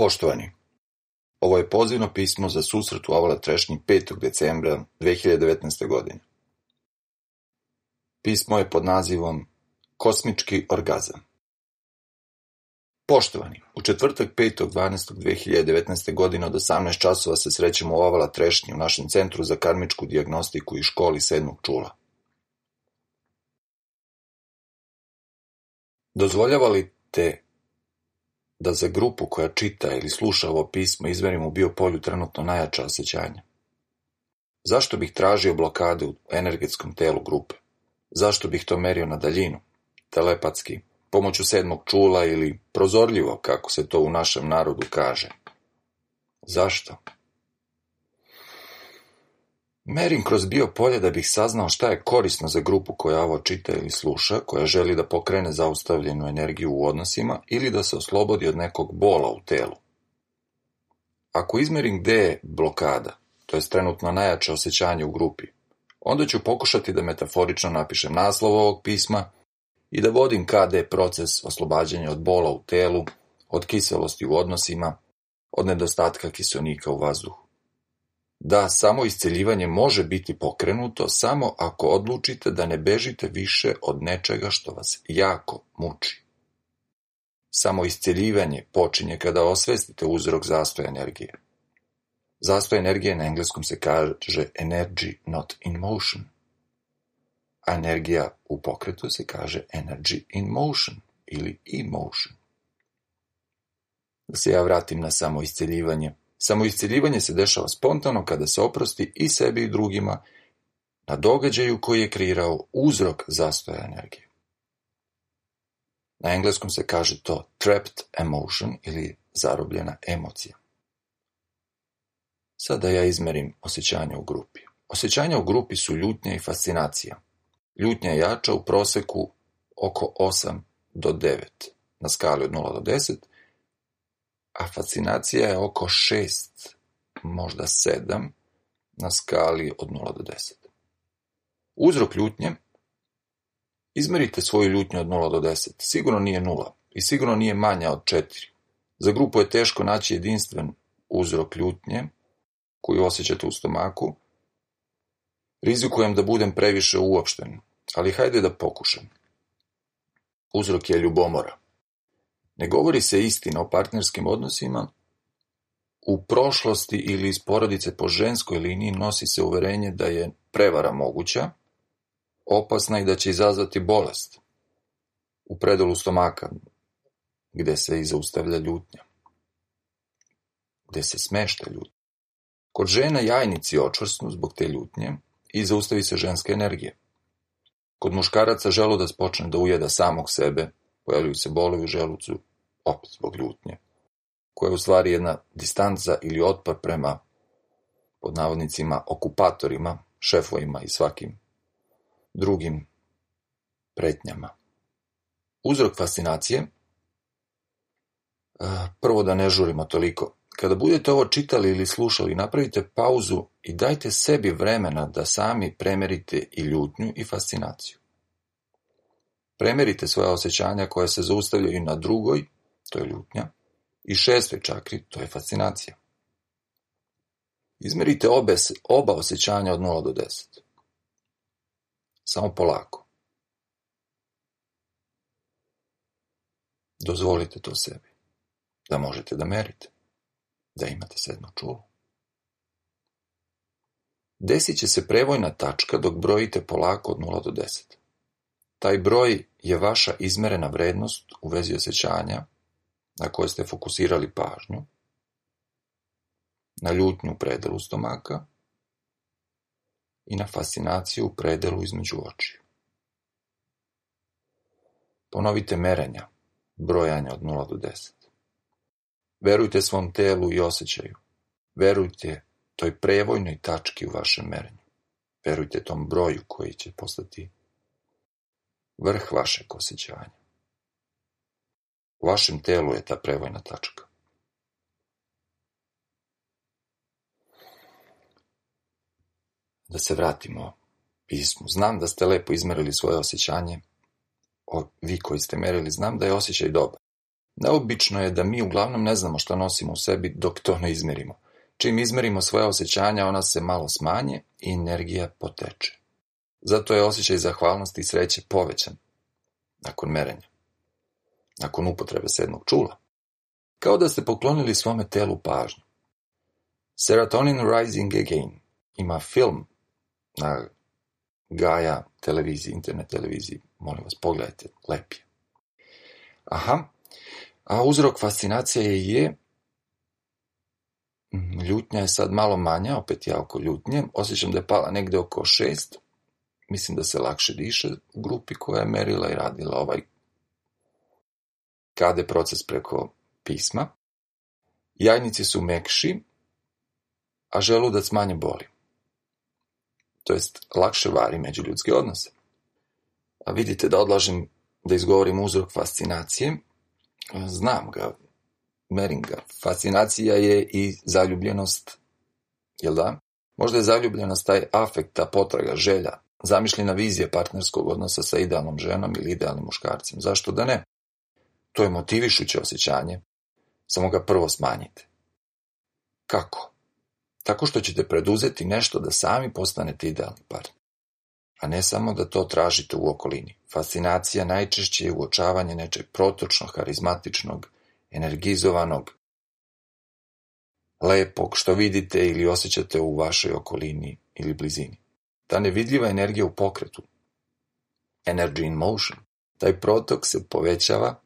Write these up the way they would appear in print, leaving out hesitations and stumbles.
Poštovani, ovo je pozivno pismo za susret u Avala Trešnji 5. decembra 2019. godine. Pismo je pod nazivom Kosmički orgazam. Poštovani, u četvrtak 5.12.2019. godine od 18 časova se srećemo u Avala Trešnji u našem centru za karmičku dijagnostiku i školi 7. čula. Dozvoljava li te da za grupu koja čita ili sluša ovo pismo izmerim u biopolju trenutno najjača osjećanja? Zašto bih tražio blokade u energetskom telu grupe? Zašto bih to merio na daljinu, telepatski, pomoću 7. čula ili prozorljivo, kako se to u našem narodu kaže? Zašto? Merim kroz biopolje da bih saznao šta je korisno za grupu koja ovo čita ili sluša, koja želi da pokrene zaustavljenu energiju u odnosima ili da se oslobodi od nekog bola u telu. Ako izmerim gde je blokada, to je trenutno najjače osjećanje u grupi, onda ću pokušati da metaforično napišem naslov ovog pisma i da vodim KD proces oslobađanja od bola u telu, od kiselosti u odnosima, od nedostatka kiselnika u vazduhu. Da, samo isceljivanje može biti pokrenuto samo ako odlučite da ne bežite više od nečega što vas jako muči. Samo isceljivanje počinje kada osvestite uzrok zastoja energije. Zastoj energije na engleskom se kaže energy not in motion, a energija u pokretu se kaže energy in motion ili emotion. Da se ja vratim na samo isceljivanje. Samo isceljivanje se dešava spontano kada se oprosti i sebi i drugima na događaju koji je kreirao uzrok zastoja energije. Na engleskom se kaže to trapped emotion ili zarobljena emocija. Sada ja izmerim osjećanja u grupi. Osjećanja u grupi su ljutnja i fascinacija. Ljutnja je jača u proseku oko 8 do 9 na skali od 0 do 10, a fascinacija je oko 6, možda 7, na skali od 0 do 10. Uzrok ljutnje: izmerite svoju ljutnju od 0 do 10. Sigurno nije 0 i sigurno nije manja od 4. Za grupu je teško naći jedinstven uzrok ljutnje koju osjećate u stomaku. Rizikujem da budem previše uopšten, ali hajde da pokušam. Uzrok je ljubomora. Ne govori se istina o partnerskim odnosima. U prošlosti ili iz porodice po ženskoj liniji nosi se uverenje da je prevara moguća, opasna i da će izazvati bolest. U predelu stomaka, gde se i zaustavlja ljutnja, gde se smešta ljutnja. Kod žena jajnici očvrsnu zbog te ljutnje i zaustavi se ženska energija. Kod muškaraca želudac počne da ujeda samog sebe, pojavljuju se bolovi u želucu, opet zbog ljutnje, koja je u stvari jedna distanca ili otpor prema, pod navodnicima, okupatorima, šefovima i svakim drugim pretnjama. Uzrok fascinacije: prvo da ne žurimo toliko. Kada budete ovo čitali ili slušali, napravite pauzu i dajte sebi vremena da sami premerite i ljutnju i fascinaciju. Premerite svoja osjećanja koja se zaustavljaju na drugoj, to je ljutnja, i 6. čakri, to je fascinacija. Izmerite oba osjećanja od 0 do 10. Samo polako. Dozvolite to sebi, da možete da merite, da imate 7. čulo. Desit će se prevojna tačka dok brojite polako od 0 do 10. Taj broj je vaša izmerena vrednost u vezi osjećanja na koje ste fokusirali pažnju, na ljutnju u predelu stomaka i na fascinaciju u predelu između očiju. Ponovite merenja, brojanja od 0 do 10. Verujte svom telu i osjećaju. Verujte toj prevojnoj tački u vašem merenju. Verujte tom broju koji će postati vrh vašeg osjećanja. U vašem telu je ta prevojna tačka. Da se vratimo pismu. Znam da ste lepo izmerili svoje osjećanje. Vi koji ste merili, znam da je osjećaj dobar. Neobično je da mi uglavnom ne znamo šta nosimo u sebi dok to ne izmerimo. Čim izmerimo svoja osjećanja, ona se malo smanje i energija poteče. Zato je osjećaj zahvalnosti i sreće povećan nakon merenja, nakon upotrebe sedmog čula. Kao da ste poklonili svome telu pažnju. Serotonin Rising Again ima film na Gaia televiziji, internet televiziji. Molim vas, pogledajte, lep je. A uzrok fascinacije je ljutnja je sad malo manja, opet ja oko ljutnje. Osjećam da je pala negde oko 6. Mislim da se lakše diše u grupi koja je merila i radila ovaj KD proces preko pisma. Jajnici su mekši, a želudac manje boli. To jest, lakše vari međuljudske odnose. A vidite da odlažem da izgovorim uzrok fascinacije. Znam ga, merim ga. Fascinacija je i zaljubljenost, jel da? Možda je zaljubljenost taj afekt, ta potraga, želja, zamišljena vizija partnerskog odnosa sa idealnom ženom ili idealnim muškarcem. Zašto da ne? To je motivišuće osjećanje, samo ga prvo smanjite. Kako? Tako što ćete preduzeti nešto da sami postanete idealni partner, a ne samo da to tražite u okolini. Fascinacija najčešće je uočavanje nečeg protočnog, harizmatičnog, energizovanog, lepog, što vidite ili osjećate u vašoj okolini ili blizini. Ta nevidljiva energija u pokretu, energy in motion, taj protok se povećava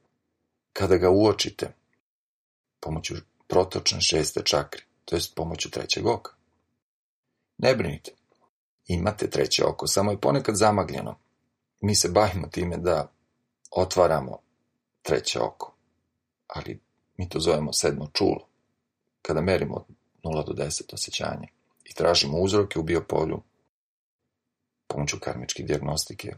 kada ga uočite pomoću protočne 6. čakre, to jest pomoću 3. oka. Ne brinite, imate 3. oko, samo je ponekad zamagljeno. Mi se bavimo time da otvaramo 3. oko, ali mi to zovemo 7. čulo. Kada merimo od 0 do 10 osjećanja i tražimo uzroke u biopolju pomoću karmičke dijagnostike,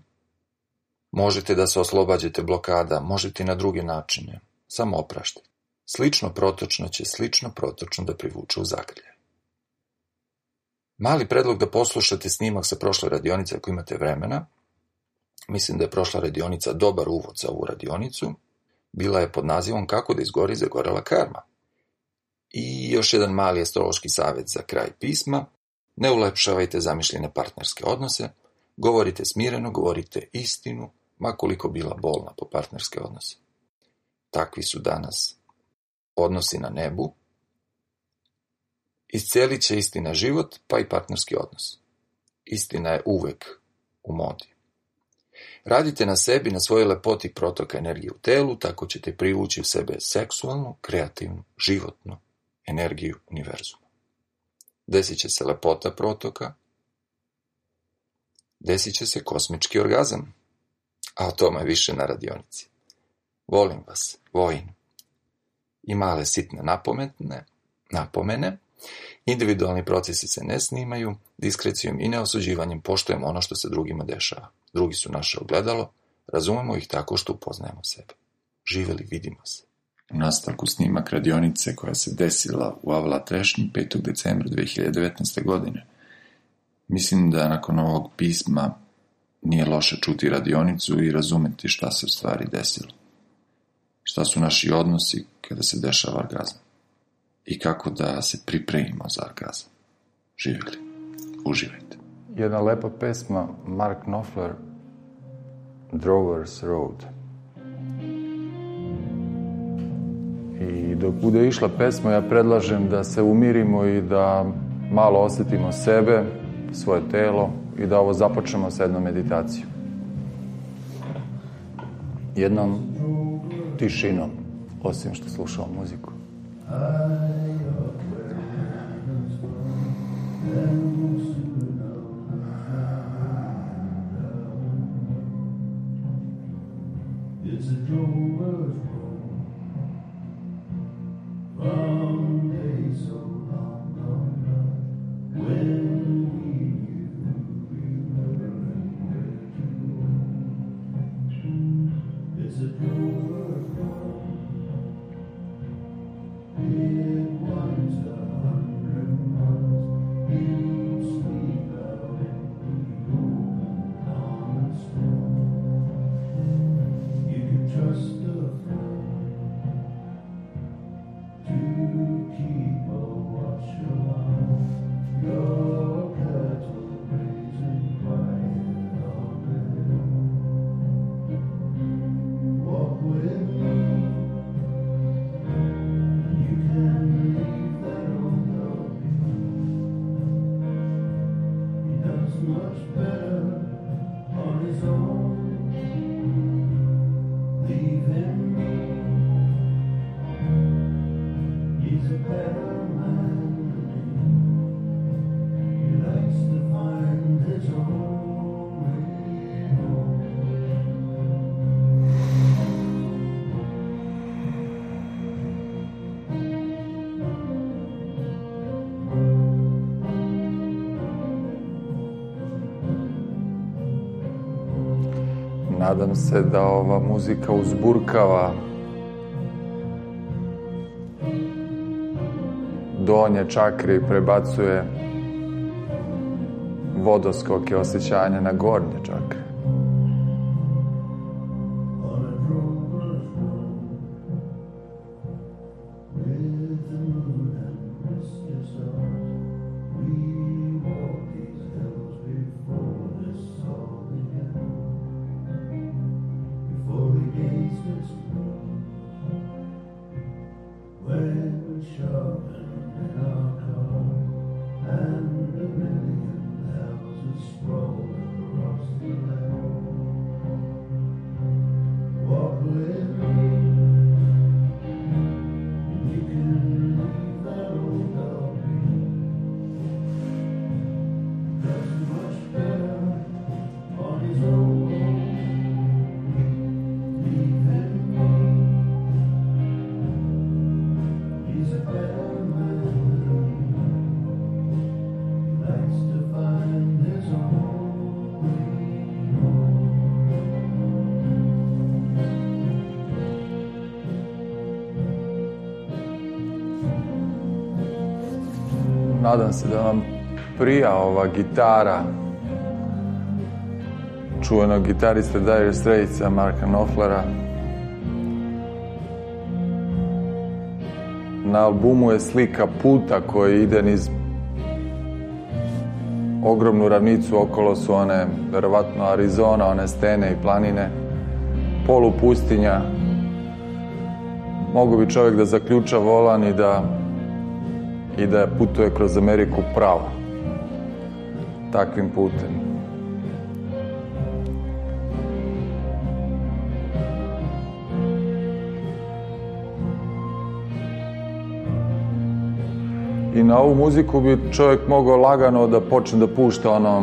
možete da se oslobađate blokada, možete i na druge načine, samo opraštajte. Slično protočno će slično protočno da privuče u zagrljaj. Mali predlog da poslušate snimak sa prošle radionice ako imate vremena. Mislim da je prošla radionica dobar uvod za ovu radionicu. Bila je pod nazivom Kako da izgori zagorela karma. I još jedan mali astrološki savjet za kraj pisma. Ne ulepšavajte zamišljene partnerske odnose. Govorite smireno, govorite istinu, ma koliko bila bolna po partnerske odnose. Takvi su danas odnosi na nebu. Iscelit će istina život, pa i partnerski odnos. Istina je uvek u modi. Radite na sebi, na svojoj lepoti protoka energije u telu, tako ćete privući u sebe seksualnu, kreativnu, životnu energiju univerzuma. Desit će se lepota protoka, desit će se kosmički orgazam, a o tome više na radionici. Volim vas, Vojin. I male sitne napomene, individualni procesi se ne snimaju, diskrecijom i neosuđivanjem poštujemo ono što se drugima dešava. Drugi su naše ogledalo, razumemo ih tako što upoznajemo sebe. Živeli, vidimo se. U nastavku snimak radionice koja se desila u Avala Trešnji 5. decembra 2019. godine. Mislim da nakon ovog pisma nije loše čuti radionicu i razumeti šta se u stvari desilo. Šta su naši odnosi kada se dešava orgazam i kako da se pripremimo za orgazam. Živjeli, uživajte. Jedna lepa pesma, Mark Knopfler, Drover's Road. I dok bude išla pesma, ja predlažem da se umirimo i da malo osjetimo sebe, svoje telo i da ovo započnemo sa jednom meditacijom. Jednom tišinom, osim što slušamo muziku. It's a drover's road from days so long gone, when we remembering where to go. It's a drover's road. It winds 100 miles. You sleep out in the open common storm. You can trust a friend. Nadam se da ova muzika uzburkava donje čakre i prebacuje vodoskoke osjećanja na gornje čakre. Nadam se da vam prija ova gitara čuvenog gitariste Dire Straitsa Marka Knopflera. Na albumu je slika puta koji ide niz ogromnu ravnicu, okolo su one, verovatno Arizona, one stene i planine, polupustinja. Mogu bi čovjek da zaključa volan i da putuje kroz Ameriku pravo, takvim putem. I na ovu muziku bi čovjek mogao lagano da počne da pušta ono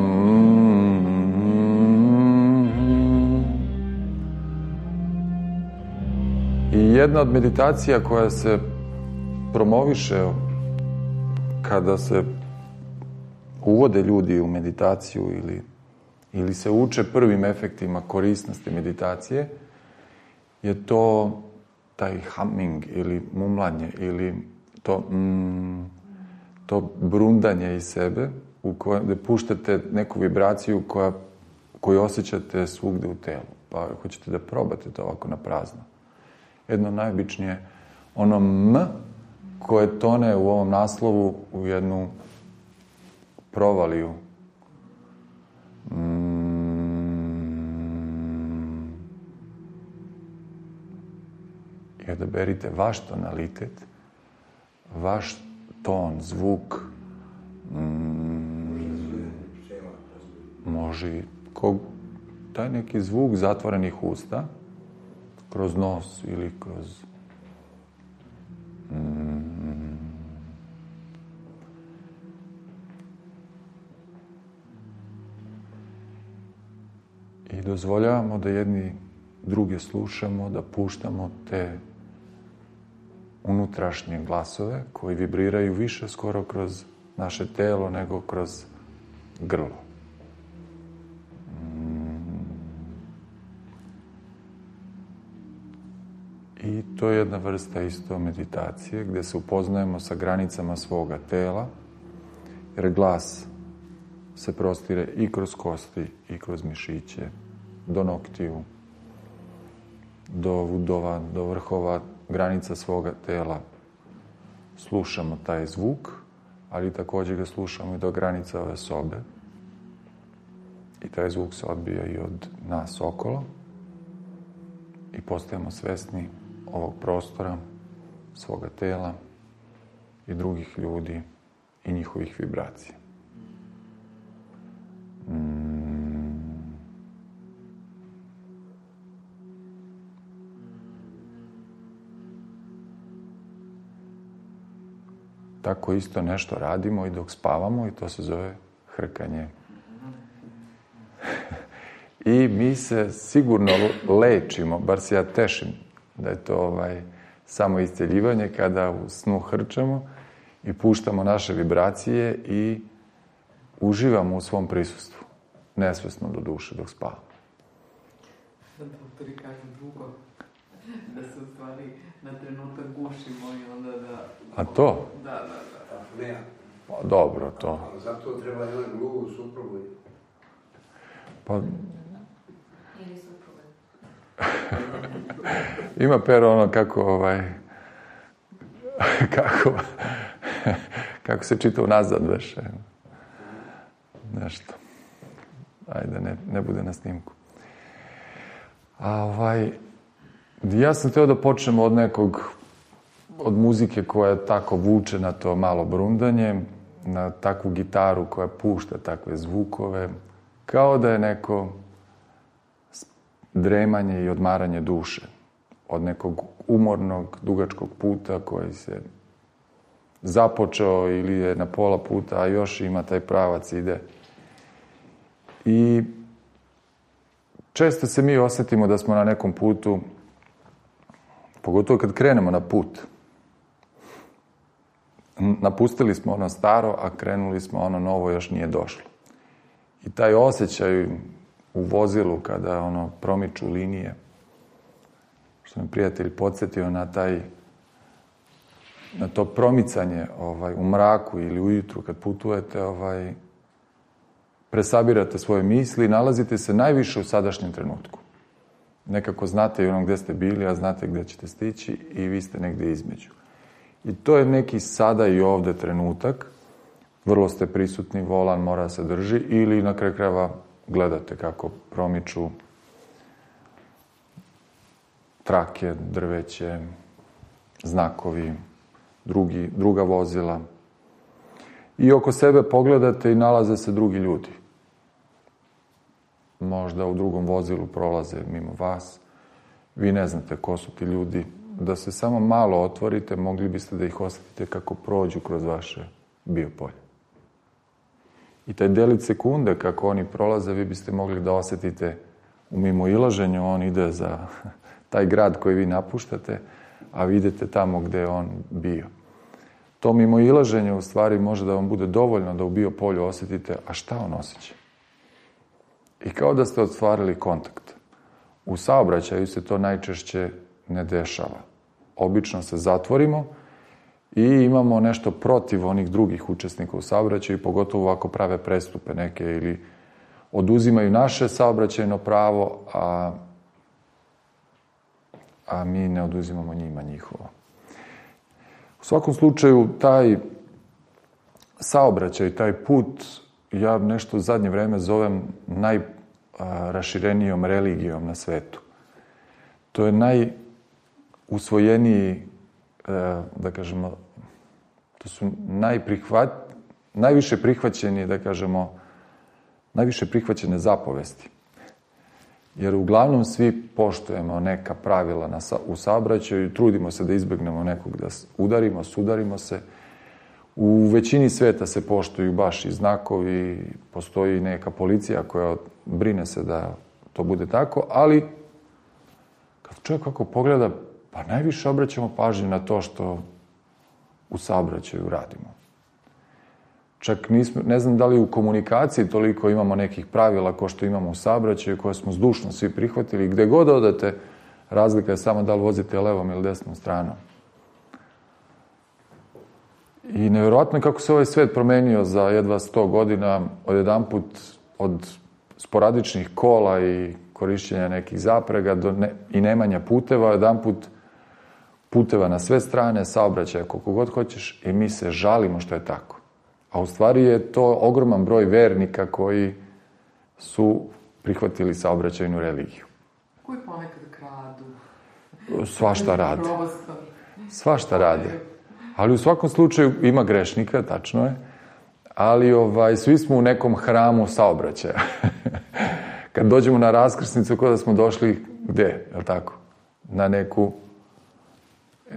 I jedna od meditacija koja se promoviše kada se uvode ljudi u meditaciju ili se uče prvim efektima korisnosti meditacije, je to taj humming ili mumlanje ili to brundanje iz sebe u kojem da puštate neku vibraciju koju osjećate svugde u telu. Pa hoćete da probate to ovako na prazno. Jedno najobičnije, ono m koje tone u ovom naslovu u jednu provaliju. I odaberite vaš tonalitet, vaš ton, zvuk. Može taj neki zvuk zatvorenih usta, kroz nos ili kroz i dozvoljavamo da jedni druge slušamo, da puštamo te unutrašnje glasove koji vibriraju više skoro kroz naše telo nego kroz grlo. I to je jedna vrsta isto meditacije gdje se upoznajemo sa granicama svoga tela, jer glas se prostire i kroz kosti i kroz mišiće, do noktiju, do udova, do vrhova granica svoga tela. Slušamo taj zvuk, ali također ga slušamo i do granica ove sobe. I taj zvuk se odbija i od nas okolo i postajemo svesni ovog prostora, svoga tela i drugih ljudi i njihovih vibracija. Tako isto nešto radimo i dok spavamo i to se zove hrkanje. I mi se sigurno lečimo, bar se ja tešim da je to samo isceljivanje kada u snu hrčamo i puštamo naše vibracije i uživamo u svom prisustvu. Nesvesno do duše dok spavamo. Sad doktori kažu drugo, da se u stvari na trenutak gušimo i onda da... A to? Da. Ne. Pa dobro, to. Ali zato treba jedan drugu suprugu. Pa... Ili supruga. Ima Pero ono kako se čita unazad već. Nešto. Ajde, ne bude na snimku. A ja sam htio da počnemo od muzike koja tako vuče na to malo brundanje, na takvu gitaru koja pušta takve zvukove, kao da je neko dremanje i odmaranje duše od nekog umornog, dugačkog puta koji se započeo ili je na pola puta, a još ima taj pravac, ide. I često se mi osjetimo da smo na nekom putu, pogotovo kad krenemo na put. Napustili smo ono staro, a krenuli smo ono novo, još nije došlo. I taj osjećaj u vozilu kada promiču linije, što me prijatelj podsjetio na to promicanje u mraku ili ujutru kad putujete, presabirate svoje misli i nalazite se najviše u sadašnjem trenutku. Nekako znate i gdje ste bili, a znate gdje ćete stići i vi ste negdje između. I to je neki sada i ovdje trenutak. Vrlo ste prisutni, volan mora se drži ili na kraju krajeva gledate kako promiču trake, drveće, znakovi, druga vozila. I oko sebe pogledate i nalaze se drugi ljudi. Možda u drugom vozilu prolaze mimo vas. Vi ne znate ko su ti ljudi. Da se samo malo otvorite, mogli biste da ih osjetite kako prođu kroz vaše biopolje. I taj delić sekunde kako oni prolaze, vi biste mogli da osjetite u mimoilaženju, on ide za taj grad koji vi napuštate, a vi idete tamo gdje je on bio. To mimoilaženje u stvari može da vam bude dovoljno da u biopolju osjetite, a šta on osjeća? I kao da ste ostvarili kontakt. U saobraćaju se to najčešće ne dešava. Obično se zatvorimo i imamo nešto protiv onih drugih učesnika u saobraćaju, pogotovo ako prave prestupe neke ili oduzimaju naše saobraćajno pravo, a mi ne oduzimamo njima njihovo. U svakom slučaju, taj saobraćaj, taj put, ja nešto u zadnje vreme zovem najraširenijom religijom na svetu. To je najusvojeniji, da kažemo, to su najviše prihvaćeni, da kažemo, najviše prihvaćene zapovesti. Jer uglavnom svi poštujemo neka pravila u saobraćaju i trudimo se da izbjegnemo nekog da udarimo, sudarimo se. U većini sveta se poštuju baš i znakovi, postoji neka policija koja brine se da to bude tako, ali kad čovjek kako pogleda, pa najviše obraćamo pažnju na to što u saobraćaju radimo. Čak ne znam da li u komunikaciji toliko imamo nekih pravila kao što imamo u saobraćaju, koje smo zdušno svi prihvatili. Gde god odete, razlika je samo da li vozite levom ili desnom stranom. I nevjerojatno je kako se ovaj svet promenio za jedva 100 godina, odjedanput od sporadičnih kola i korišćenja nekih zaprega i nemanja puteva, jedanput puteva na sve strane, saobraćaja koliko god hoćeš i mi se žalimo što je tako. A u stvari je to ogroman broj vernika koji su prihvatili saobraćajnu religiju. Koji ponekad kradu. Svašta rade. Svašta rade. Ali u svakom slučaju ima grešnika, tačno je, ali svi smo u nekom hramu saobraćaja. Kad dođemo na raskrsnicu, kao da smo došli gde, je li tako? Na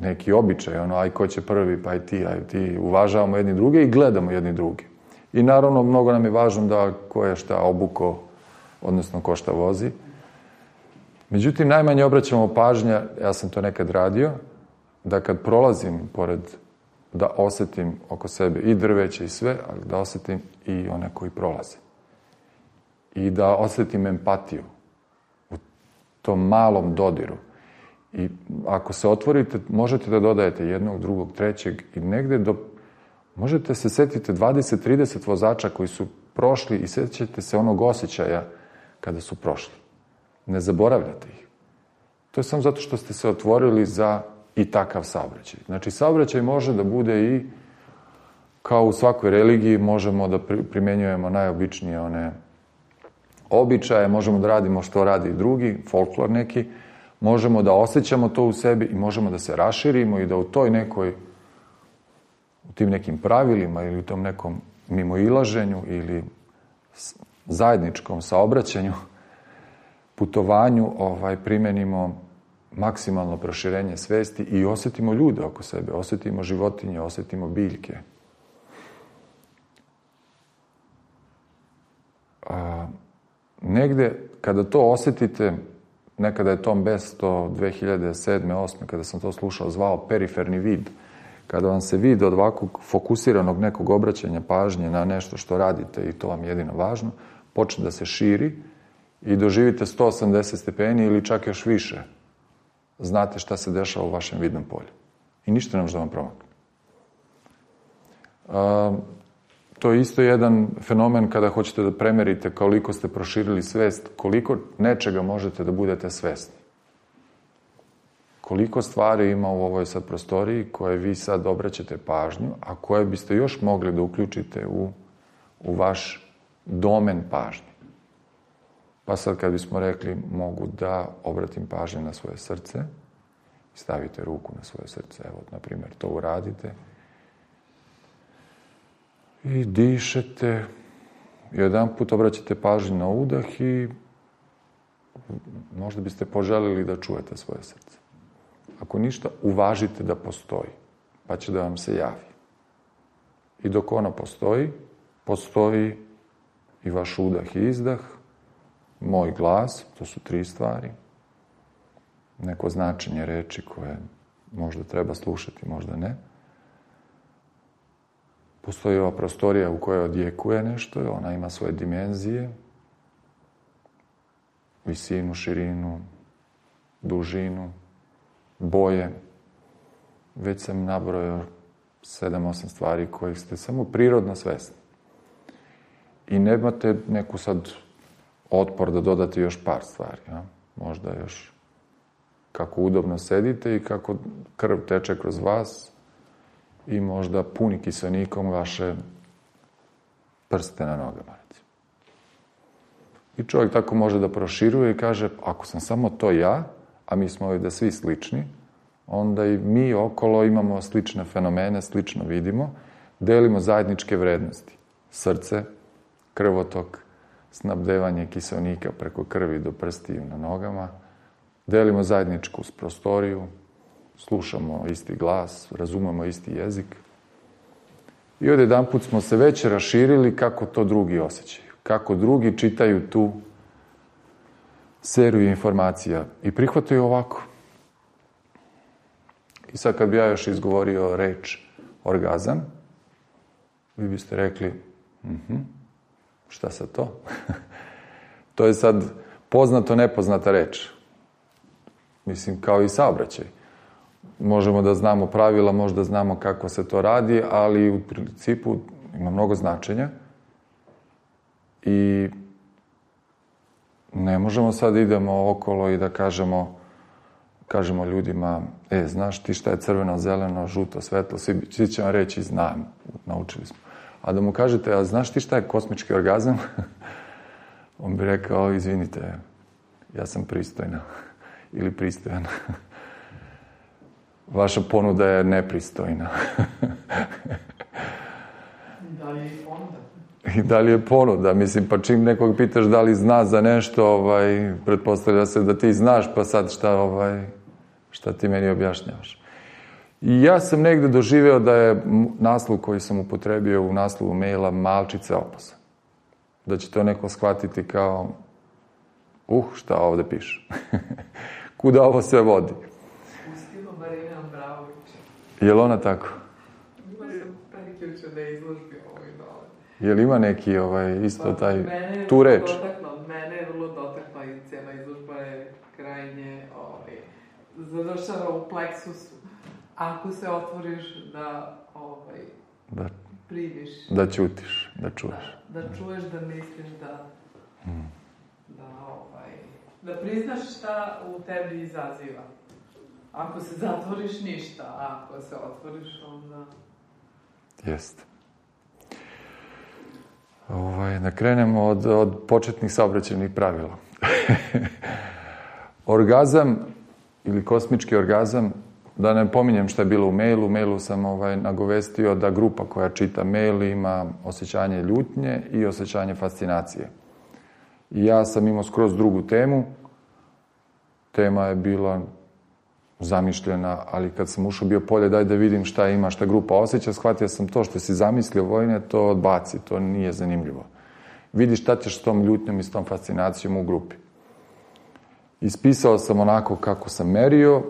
neki običaj, aj ko će prvi, pa aj ti, uvažavamo jedni druge i gledamo jedni druge. I naravno, mnogo nam je važno da ko je šta obuko, odnosno ko šta vozi. Međutim, najmanje obraćamo pažnja, ja sam to nekad radio, da kad prolazim pored, da osjetim oko sebe i drveće i sve, ali da osjetim i one koji prolaze. I da osjetim empatiju u tom malom dodiru. I ako se otvorite, možete da dodajete jednog, drugog, trećeg i negde možete se setiti 20-30 vozača koji su prošli i sjećate se onog osjećaja kada su prošli. Ne zaboravljate ih. To je samo zato što ste se otvorili za i takav saobraćaj. Znači, saobraćaj može da bude i kao u svakoj religiji, možemo da primenjujemo najobičnije one običaje, možemo da radimo što radi drugi, folklor neki, možemo da osjećamo to u sebi i možemo da se raširimo i da u tim nekim pravilima ili u tom nekom mimoilaženju ili zajedničkom saobraćanju, putovanju, primenimo maksimalno proširenje svesti i osjetimo ljude oko sebe, osjetimo životinje, osjetimo biljke. Negde, kada to osjetite, nekada je Tom Best to 2007. 2008. kada sam to slušao, zvao periferni vid. Kada vam se vid od ovakvog fokusiranog nekog obraćanja pažnje na nešto što radite i to vam je jedino važno, počne da se širi i doživite 180 stepeni ili čak još više. Znate šta se dešava u vašem vidnom polju. I ništa ne može da vam promakne. To je isto jedan fenomen kada hoćete da premerite koliko ste proširili svest, koliko nečega možete da budete svesni. Koliko stvari ima u ovoj sad prostoriji koje vi sad obraćate pažnju, a koje biste još mogli da uključite u vaš domen pažnje. Pa sad kad bismo rekli mogu da obratim pažnju na svoje srce, stavite ruku na svoje srce, evo, na primjer, to uradite, i dišete, i jedan put obraćate pažnju na udah i možda biste poželili da čujete svoje srce. Ako ništa, uvažite da postoji, pa će da vam se javi. I dok ono postoji, postoji i vaš udah i izdah, moj glas, to su 3 stvari, neko značenje reči koje možda treba slušati, možda ne. Postoji ova prostorija u kojoj odjekuje nešto, ona ima svoje dimenzije, visinu, širinu, dužinu, boje. Već sam nabrojao 7-8 stvari kojih ste samo prirodno svesni. I nemate neku sad otpor da dodate još par stvari. Ja? Možda još kako udobno sedite i kako krv teče kroz vas i možda puni kiseonikom vaše prste na nogama. I čovjek tako može da proširuje i kaže, ako sam samo to ja, a mi smo ovdje svi slični, onda i mi okolo imamo slične fenomene, slično vidimo, delimo zajedničke vrednosti. Srce, krvotok, snabdevanje kiseonika preko krvi do prstiju na nogama, delimo zajedničku prostoriju, slušamo isti glas, razumemo isti jezik. I od jedan put smo se već raširili kako to drugi osjećaju, kako drugi čitaju tu seriju informacija i prihvataju ovako. I sad kad bi ja još izgovorio reč orgazam, vi biste rekli, šta sad to? To je sad poznato nepoznata reč. Mislim, kao i saobraćaj. Možemo da znamo pravila, možda znamo kako se to radi, ali u principu ima mnogo značenja. I ne možemo sad da idemo okolo i da kažemo ljudima, znaš ti šta je crveno, zeleno, žuto, svetlo, svi će vam reći, znam, naučili smo. A da mu kažete, a znaš ti šta je kosmički orgazam? On bi rekao, izvinite, ja sam pristojna ili pristojan. Vaša ponuda je nepristojna. Da li je ponuda? I da li je ponuda? Mislim, pa čim nekog pitaš da li zna za nešto, pretpostavlja se da ti znaš, pa sad šta ti meni objašnjavaš. I ja sam negde doživeo da je naslov koji sam upotrebio u naslovu maila malčice opasan. Da će to neko shvatiti kao šta ovde piše. Kuda ovo sve vodi? U stilu Marine Ambraović. Je li ona tako? Ima sam prekjuče da izložbi ovoj dole. Je li ima neki tu reč? Mene je vrlo dotakla i cijela izložba je kraj krajnje završava u pleksusu. Ako se otvoriš da primiš. Da ćutiš, da čuješ. Da čuješ, da misliš, da priznaš šta u tebi izaziva. Ako se zatvoriš, ništa. A ako se otvoriš, onda... Jeste. Da krenemo od početnih saobraćajnih pravila. Orgazam ili kosmički orgazam, da ne pominjem šta je bilo u mailu. U mailu sam nagovestio da grupa koja čita mail ima osjećanje ljutnje i osjećanje fascinacije. I ja sam imao skroz drugu temu. Tema je bila zamišljena, ali kad sam ušao bio polje, daj da vidim šta ima, šta grupa osjeća, shvatio sam to što si zamislio, Vojine, to odbaci, to nije zanimljivo. Vidi šta ćeš s tom ljutnjom i s tom fascinacijom u grupi. Ispisao sam onako kako sam merio,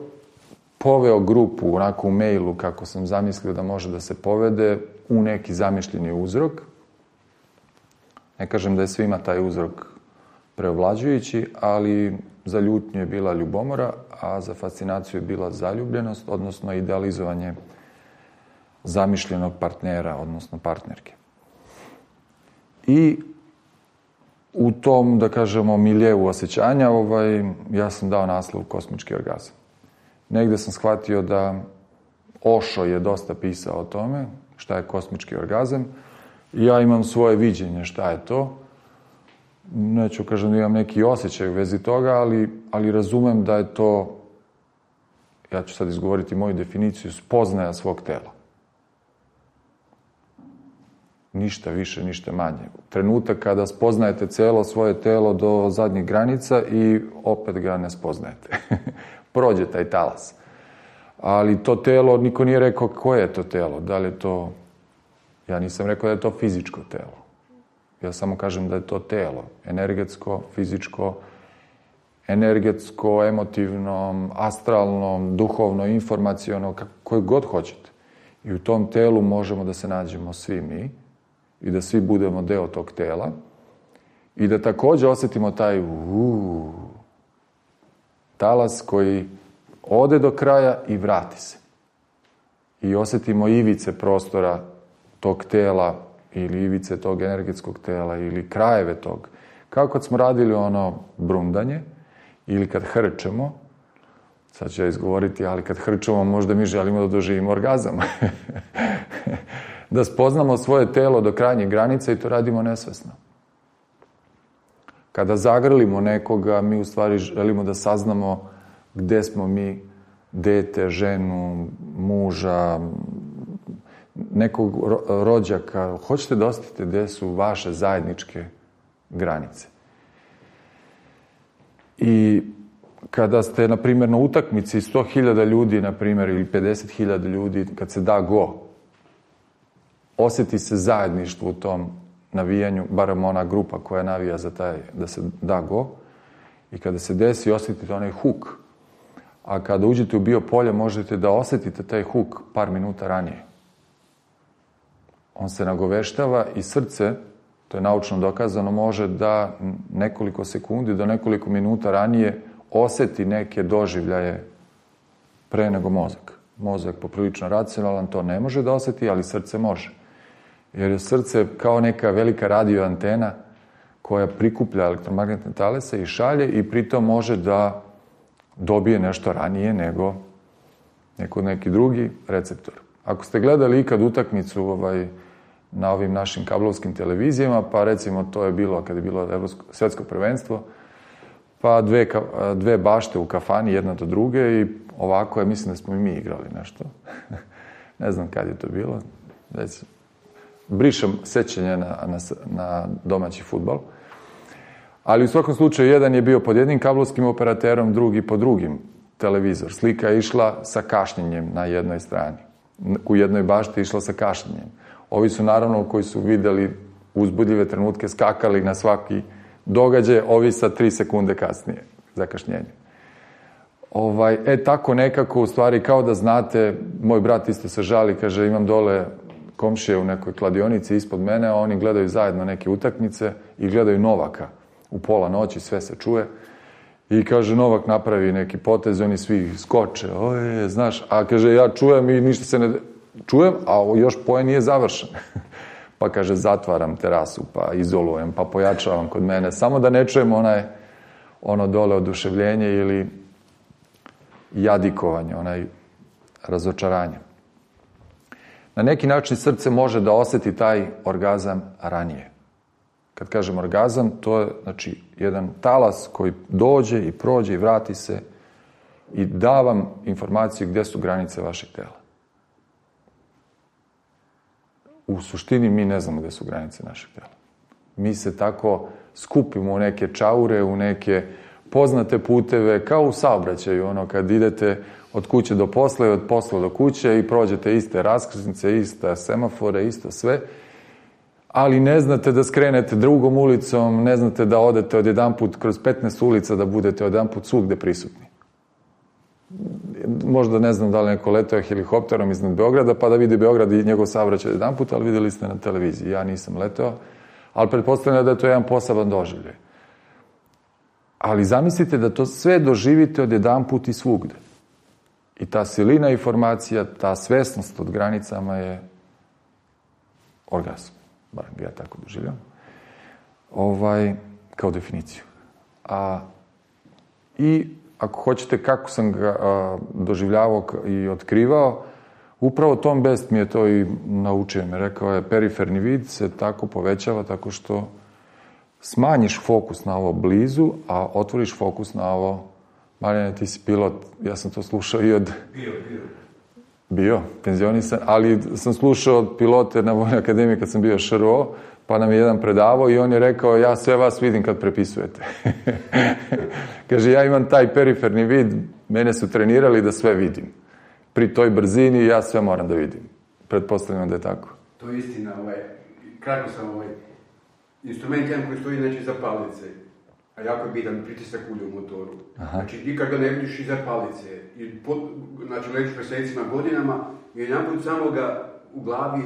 poveo grupu onako u mailu kako sam zamislio da može da se povede u neki zamišljeni uzrok. Ne kažem da je svima taj uzrok preovlađujući, ali za ljutnju je bila ljubomora, a za fascinaciju je bila zaljubljenost, odnosno idealizovanje zamišljenog partnera, odnosno partnerke. I u tom, da kažemo, miljeu osjećanja, ja sam dao naslov kosmički orgazam. Negde sam shvatio da Osho je dosta pisao o tome, šta je kosmički orgazam. I ja imam svoje viđenje šta je to. Neću kažem da imam neki osjećaj u vezi toga, ali razumem da je to, ja ću sad izgovoriti moju definiciju, spoznaja svog tela. Ništa više, ništa manje. Trenutak kada spoznajete celo svoje telo do zadnjih granica i opet ga ne spoznajete. Prođe taj talas. Ali to telo, niko nije rekao koje je to telo. Da li je to... Ja nisam rekao da je to fizičko telo. Ja samo kažem da je to telo. Energetsko, fizičko, energetsko, emotivno, astralno, duhovno, informaciono, koje god hoćete. I u tom telu možemo da se nađemo svi mi i da svi budemo deo tog tela i da takođe osjetimo taj talas koji ode do kraja i vrati se. I osjetimo ivice prostora tog tela ili ivice tog energetskog tela ili krajeve tog. Kao kad smo radili ono brundanje ili kad hrčemo, sad ću ja izgovoriti, ali kad hrčemo možda mi želimo da doživimo orgazam. Da spoznamo svoje telo do krajnje granice i to radimo nesvesno. Kada zagrlimo nekoga, mi u stvari želimo da saznamo gde smo mi, dete, ženu, muža, nekog rođaka. Hoćete da osjetite gde su vaše zajedničke granice. I kada ste, na primjer, na utakmici 100.000 ljudi, na primjer, ili 50.000 ljudi, kad se da go, osjeti se zajedništvo u tom navijanju, barem ona grupa koja navija za taj, da se da go, i kada se desi, osjetite onaj huk. A kada uđete u biopolje, možete da osjetite taj huk par minuta ranije. On se nagoveštava i srce, to je naučno dokazano, može da nekoliko sekundi do nekoliko minuta ranije osjeti neke doživljaje pre nego mozak. Mozak poprilično racionalan to ne može da osjeti, ali srce može. Jer je srce kao neka velika radio antena koja prikuplja elektromagnetne talese i šalje i pritom može da dobije nešto ranije nego neki drugi receptor. Ako ste gledali ikad utakmicu na ovim našim kablovskim televizijama, pa recimo to je bilo kad je bilo svetsko prvenstvo, pa dve bašte u kafani jedna do druge i ovako je, mislim da smo i mi igrali nešto. Ne znam kad je to bilo. Brišem sećanje na domaći fudbal. Ali u svakom slučaju jedan je bio pod jednim kablovskim operaterom, drugi pod drugim televizor. Slika je išla sa kašnjenjem na jednoj strani. U jednoj bašti je išla sa kašnjenjem. Ovi su naravno koji su videli uzbudljive trenutke skakali na svaki događaj, ovi sa 3 sekunde kasnije zakašnjenje. Tako nekako, u stvari, kao da znate, moj brat isto se žali, kaže, imam dole komšije u nekoj kladionici ispod mene, a oni gledaju zajedno neke utakmice i gledaju Novaka u pola noći, sve se čuje. I kaže, Novak napravi neki potez, oni svi skoče, oje, znaš, a kaže, ja čujem i ništa se ne... Čujem, a još poen nije završen. Pa kaže, zatvaram terasu, pa izolujem, pa pojačavam kod mene, samo da ne čujem ono dole oduševljenje ili jadikovanje, onaj razočaranje. Na neki način srce može da osjeti taj orgazam ranije. Kad kažem orgazam, to je znači jedan talas koji dođe i prođe i vrati se i da vam informaciju gdje su granice vašeg tela. U suštini mi ne znamo gdje su granice našeg tela. Mi se tako skupimo u neke čaure, u neke poznate puteve, kao u saobraćaju, ono kad idete od kuće do posla i od posla do kuće i prođete iste raskrsnice, iste semafore, isto sve, ali ne znate da skrenete drugom ulicom, ne znate da odete odjedanput kroz 15 ulica, da budete odjedanput svugde prisutni. Možda ne znam da li neko letao helikopterom iznad Beograda, pa da vidi Beograd i njegov saobraćaj odjedanput, ali vidjeli ste na televiziji. Ja nisam letao, ali pretpostavljam da je to jedan poseban doživljaj. Ali zamislite da to sve doživite odjedanput i svugde. I ta silina informacija, ta svesnost od granicama je orgazam. Barem ja tako doživljam. Kao definiciju. I ako hoćete kako sam ga doživljavao i otkrivao, upravo Tom Best mi je to i naučio. Mi rekao je, periferni vid se tako povećava tako što smanjiš fokus na ovo blizu, a otvoriš fokus na ovo. Marijane, ti si pilot, ja sam to slušao i od... Bio, penzionisan, ali sam slušao od pilote na Vojnoj akademiji kad sam bio ŠRO, pa nam je jedan predavao i on je rekao, ja sve vas vidim kad prepisujete. Kaže, ja imam taj periferni vid, mene su trenirali da sve vidim. Pri toj brzini ja sve moram da vidim. Pretpostavljam da je tako. To je istina, kratko sam instrument jedan koji stoji znači iza palice, a jako je bitan pritisak ulja u motoru. Aha. Znači, nikad ga ne vidiš iza palice. Znači, letiš mjesecima, godinama i jedanput samo ga u glavi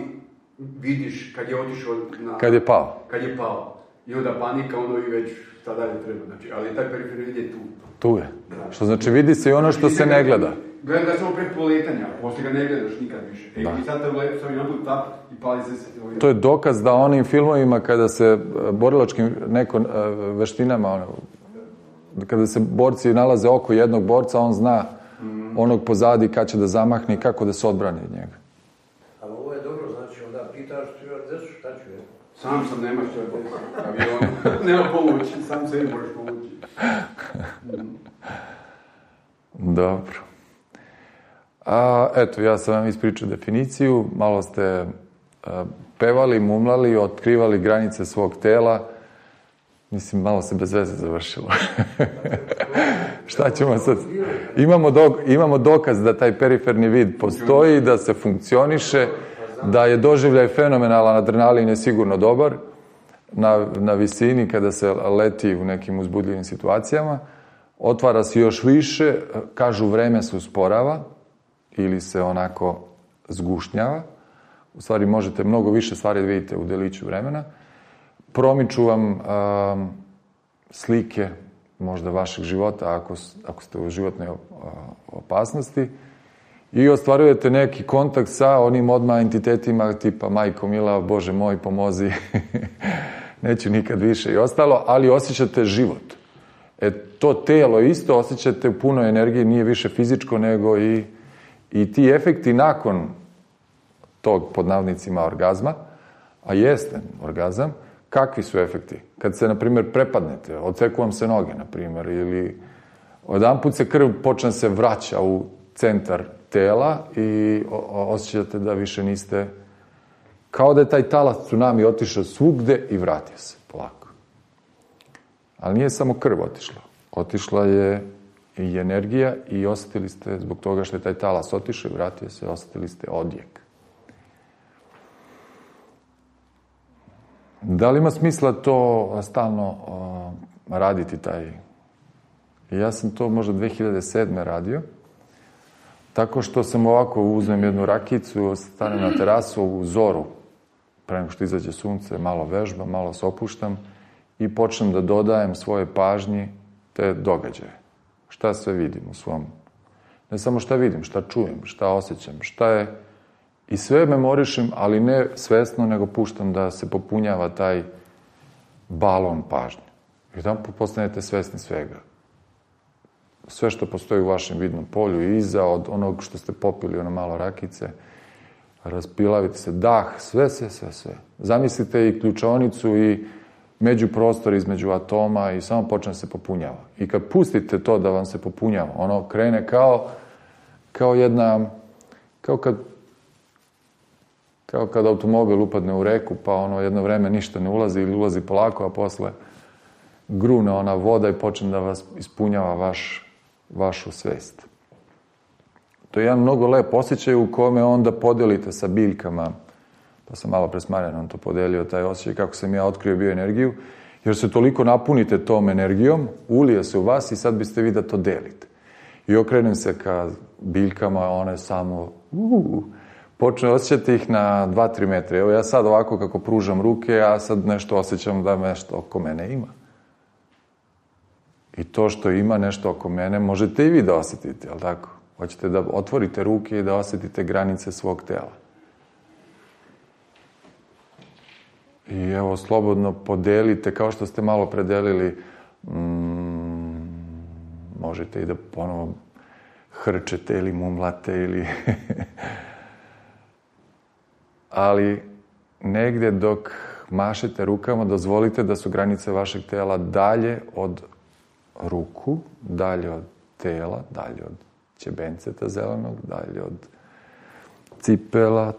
vidiš kad je otišao na... Kad je pao. Kad je pao. I onda panika, ono i već šta dalje treba. Znači, ali taj periferni vid je tu. Tu je. Da. Što znači vidi se i ono što se ne gleda. Gleda ga samo pred poletanja, poslije ga ne gledaš nikad više. I sad te uletu sam jedanput tap i pali se... To je dokaz da onim filmovima kada se borilačkim veštinama, kada se borci nalaze oko jednog borca, on zna onog pozadi kad će da zamahne i kako da se odbrani od njega. Ali ovo je dobro, znači onda pitaš stjuardesu šta ću je? Sam sam, nema stjuardesu, avion, nema pomoći, sam sebi možeš pomoći. Dobro. Eto, ja sam vam ispričao definiciju, malo ste pevali, mumlali, otkrivali granice svog tela. Mislim, malo se bez veze završilo. Šta ćemo sad? Imamo dokaz da taj periferni vid postoji, da se funkcioniše, da je doživljaj fenomenalan, adrenalin je sigurno dobar, na visini kada se leti u nekim uzbudljivim situacijama. Otvara se još više, kažu vreme se usporava ili se onako zgušnjava. U stvari možete mnogo više stvari da vidite u deliću vremena. Promiču vam slike možda vašeg života ako ste u životnoj opasnosti i ostvarujete neki kontakt sa onim odmah entitetima tipa majko mila, Bože moj, pomozi, neću nikad više i ostalo, ali osjećate život. To telo isto osjećate u punoj energiji, nije više fizičko nego i ti efekti nakon tog pod navodnicima orgazma, a jeste orgazam, kakvi su efekti? Kad se, na primjer, prepadnete, odseku vam se noge, na primjer, ili odjedanput se krv počne se vraća u centar tela i osjećate da više niste, kao da je taj talas tsunami otišao svugde i vratio se polako. Ali nije samo krv otišla. Otišla je i energija i osjetili ste, zbog toga što je taj talas otišao i vratio se, osjetili ste odjek. Da li ima smisla to stalno raditi taj? Ja sam to možda 2007. radio, tako što sam ovako uzmem jednu rakicu, stanem na terasu u zoru, pre nego što izađe sunce, malo vežbam, malo se opuštam i počnem da dodajem svoje pažnji te događaje. Šta sve vidim u svom... Ne samo šta vidim, šta čujem, šta osjećam, šta je... I sve memorišem, ali ne svesno, nego puštam da se popunjava taj balon pažnje. I tamo postanete svesni svega. Sve što postoji u vašem vidnom polju i iza od onog što ste popili, ono malo rakice, raspilavite se, dah, sve. Zamislite i ključaonicu i međuprostor između atoma i samo počne se popunjava. I kad pustite to da vam se popunjava, ono krene kao kad automobil upadne u reku, pa ono jedno vreme ništa ne ulazi ili ulazi polako, a posle grune ona voda i počne da vas ispunjava vašu svest. To je jedan mnogo lep osjećaj u kome onda podelite sa biljkama. To sam malo pre s Marijanom to podelio, taj osjećaj kako sam ja otkrio bioenergiju, jer se toliko napunite tom energijom, ulije se u vas i sad biste vi da to delite. I okrenem se ka biljkama, one samo počne osjećati ih na 2-3 metra. Evo ja sad ovako kako pružam ruke, ja sad nešto osjećam da nešto oko mene ima. I to što ima nešto oko mene možete i vi da osjetite, jel tako? Hoćete da otvorite ruke i da osjetite granice svog tela. I evo, slobodno podelite, kao što ste malo predelili, možete i da ponovo hrčete ili mumlate ili... Ali negdje dok mašete rukama, dozvolite da su granice vašeg tela dalje od ruku, dalje od tela, dalje od ćebenceta zelenog, dalje od cipela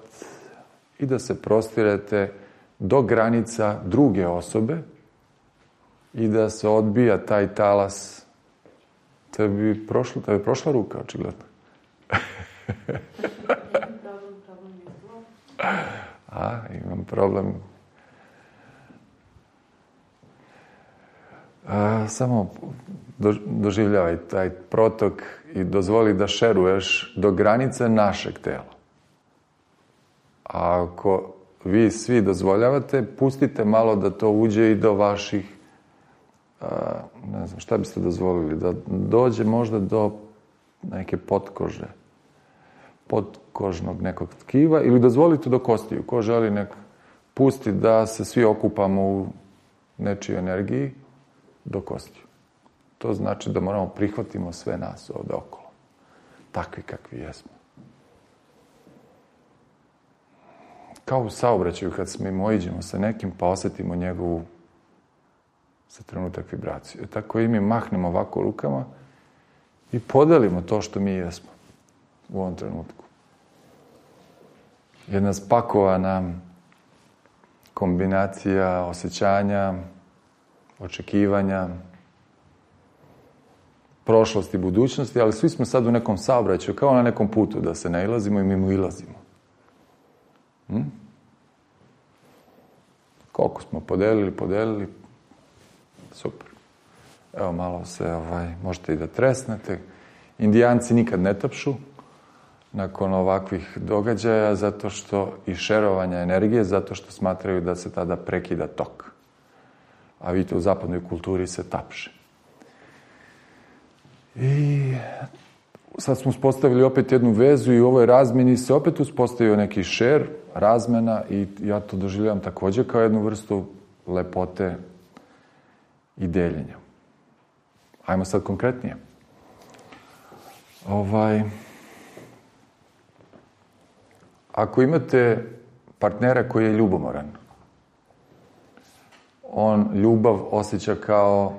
i da se prostirete do granica druge osobe i da se odbija taj talas. To bi prošla ruka, očigledno. Imam problem. Samo doživljavaj taj protok i dozvoli da šeruješ do granice našeg tela. A ako vi svi dozvoljavate, pustite malo da to uđe i do vaših, ne znam, šta biste dozvolili, da dođe možda do neke potkože, potkožnog nekog tkiva, ili dozvolite do kostiju. Ko želi nek pusti da se svi okupamo u nečijoj energiji do kostiju. To znači da moramo prihvatimo sve nas ovde okolo. Takvi kakvi jesmo. Kao u saobraćaju kad mimoiđemo sa nekim pa osetimo njegovu za trenutak vibraciju. Tako i mi mahnemo ovako rukama i podelimo to što mi jesmo u ovom trenutku. Jedna spakovana kombinacija osjećanja, očekivanja, prošlosti i budućnosti, ali svi smo sad u nekom saobraćaju, kao na nekom putu, da se nailazimo i mimo ilazimo. Koliko smo podelili, super. Evo malo se, možete i da tresnete. Indijanci nikad ne tapšu nakon ovakvih događaja, zato što i šerovanja energije, zato što smatraju da se tada prekida tok. A vidite, u zapadnoj kulturi se tapše. I sad smo uspostavili opet jednu vezu i u ovoj razmeni se opet uspostavio neki šer, razmena i ja to doživljavam također kao jednu vrstu lepote i deljenja. Ajmo sad konkretnije. Ako imate partnera koji je ljubomoran, on ljubav osjeća kao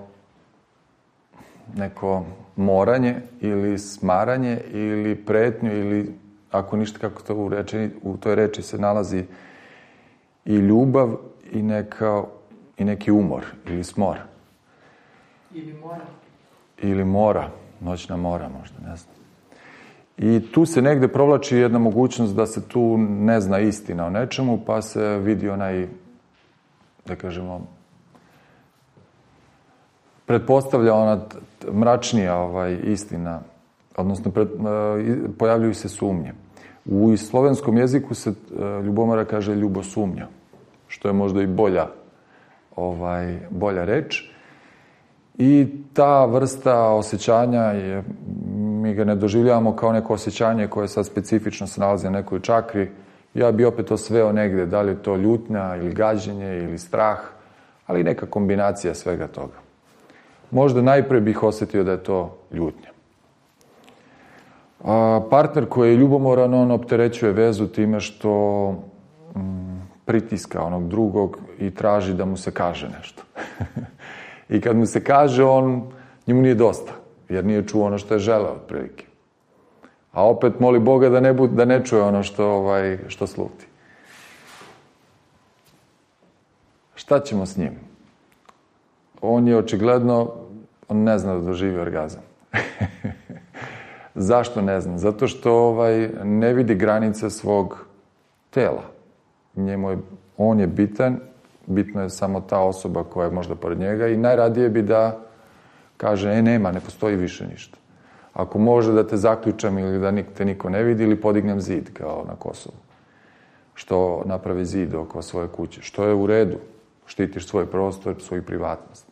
neko moranje ili smaranje ili pretnju ili ako ništa, kako to u toj reči se nalazi i ljubav i neki umor ili smor. Ili mora, noćna mora možda, ne znam. I tu se negde provlači jedna mogućnost da se tu ne zna istina o nečemu, pa se vidi onaj, da kažemo, pretpostavlja ona mračnija istina, odnosno pojavljuju se sumnje. U slovenskom jeziku se ljubomora kaže ljubosumnja, što je možda i bolja reč. I ta vrsta osjećanja mi ga ne doživljavamo kao neko osjećanje koje sad specifično se nalazi na nekoj čakri. Ja bi opet to sveo negde, da li je to ljutnja ili gađenje ili strah, ali neka kombinacija svega toga. Možda najpre bih osjetio da je to ljutnja. Partner koji je ljubomoran, on opterećuje vezu time što pritiska onog drugog i traži da mu se kaže nešto. I kad mu se kaže, njemu nije dosta, jer nije čuo ono što je želeo otprilike. A opet moli Boga da ne čuje ono što sluti. Šta ćemo s njim? On je očigledno, on ne zna da doživi orgazam. Zašto ne zna? Zato što ne vidi granice svog tela. On je bitan, bitno je samo ta osoba koja je možda pored njega i najradije bi da kaže, nema, ne postoji više ništa. Ako može da te zaključam ili da te niko ne vidi ili podignem zid kao na Kosovu. Što napravi zid oko svoje kuće. Što je u redu. Štitiš svoj prostor, svoju privatnost.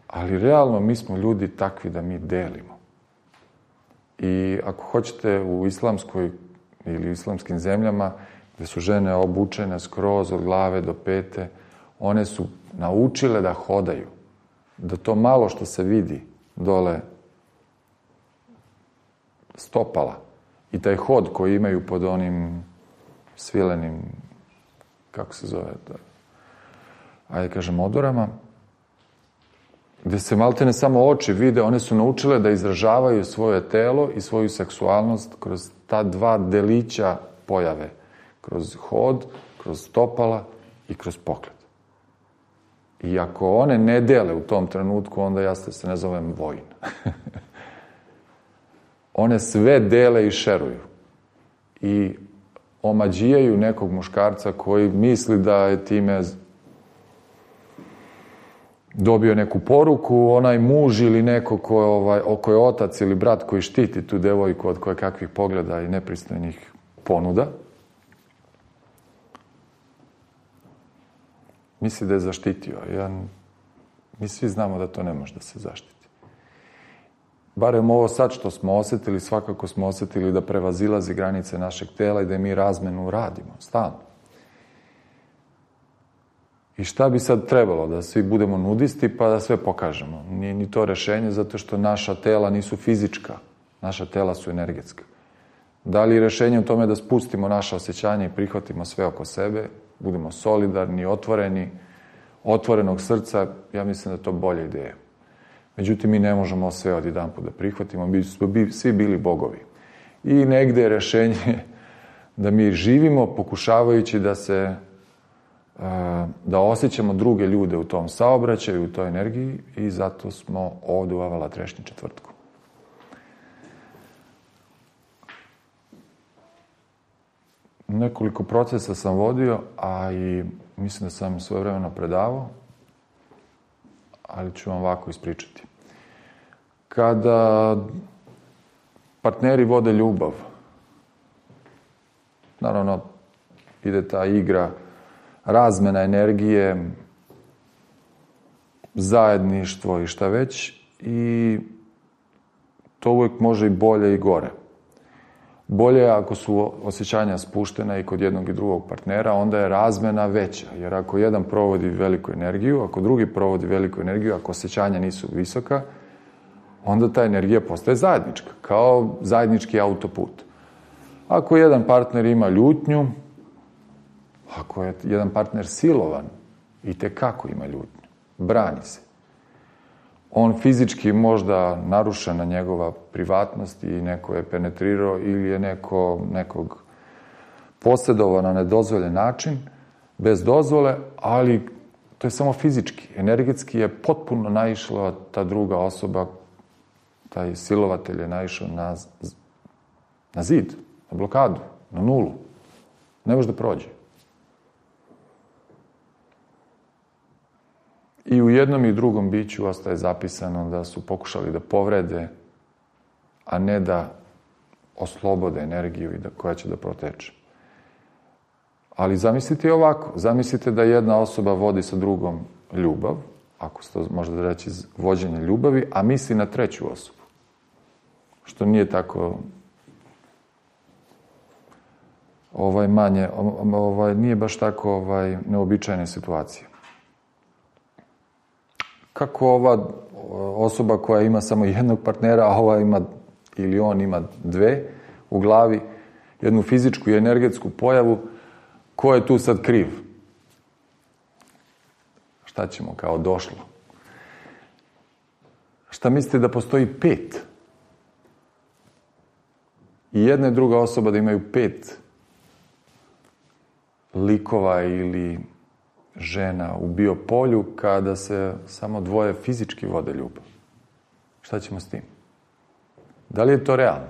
Ali realno mi smo ljudi takvi da mi delimo. I ako hoćete u islamskoj ili islamskim zemljama gde su žene obučene skroz od glave do pete, one su naučile da hodaju. Da to malo što se vidi dole stopala i taj hod koji imaju pod onim svilenim, kako se zove, odorama, gde se maltene samo oči vide, one su naučile da izražavaju svoje telo i svoju seksualnost kroz ta dva delića pojave. Kroz hod, kroz stopala i kroz pogled. I ako one ne dele u tom trenutku, onda ja se ne zovem vojn. One sve dele i šeruju. I omađijaju nekog muškarca koji misli da je time dobio neku poruku, onaj muž ili neko ko je otac ili brat koji štiti tu devojku od koje kakvih pogleda i nepristojnih ponuda, misli da je zaštitio. Mi svi znamo da to ne može da se zaštiti. Barem ovo sad što smo osjetili, svakako smo osjetili da prevazilazi granice našeg tela i da mi razmenu radimo, stalno. I šta bi sad trebalo? Da svi budemo nudisti pa da sve pokažemo. Nije ni to rešenje zato što naša tela nisu fizička. Naša tela su energetska. Da li je rešenje u tome da spustimo naše osjećanje i prihvatimo sve oko sebe, budemo solidarni, otvoreni, otvorenog srca, ja mislim da je to bolja ideja. Međutim, mi ne možemo sve odjedanput da prihvatimo, mi smo svi bili bogovi. I negde je rešenje da mi živimo pokušavajući da osjećamo druge ljude u tom saobraćaju, u toj energiji i zato smo ovde u Avala Trešnji četvrtku. Nekoliko procesa sam vodio, a i mislim da sam svojevremeno predavao, ali ću vam ovako ispričati. Kada partneri vode ljubav, naravno ide ta igra, razmena energije, zajedništvo i šta već, i to uvijek može i bolje i gore. Bolje je ako su osjećanja spuštena i kod jednog i drugog partnera, onda je razmena veća. Jer ako jedan provodi veliku energiju, ako drugi provodi veliku energiju, ako osjećanja nisu visoka, onda ta energija postaje zajednička, kao zajednički autoput. Ako jedan partner ima ljutnju, ako je jedan partner silovan, itekako ima ljutnju, brani se. On fizički možda narušena njegova privatnost i neko je penetrirao ili je nekog posjedovao na nedozvoljen način, bez dozvole, ali to je samo fizički. Energetski je potpuno naišla ta druga osoba, taj silovatelj je naišao na zid, na blokadu, na nulu. Ne može da prođe. I u jednom i drugom biću ostaje zapisano da su pokušali da povrede, a ne da oslobode energiju i koja će da proteče. Ali zamislite ovako, zamislite da jedna osoba vodi sa drugom ljubav, ako se to može da reći vođenje ljubavi, a misli na treću osobu. Što nije tako nije baš tako neobičajna situacija. Kako ova osoba koja ima samo jednog partnera, a ova ima, ili on ima dve u glavi, jednu fizičku i energetsku pojavu, ko je tu sad kriv? Šta ćemo kao došlo? Šta mislite da postoji 5? I jedna i druga osoba da imaju 5 likova ili žena u biopolju kada se samo dvoje fizički vode ljubav. Šta ćemo s tim? Da li je to realno?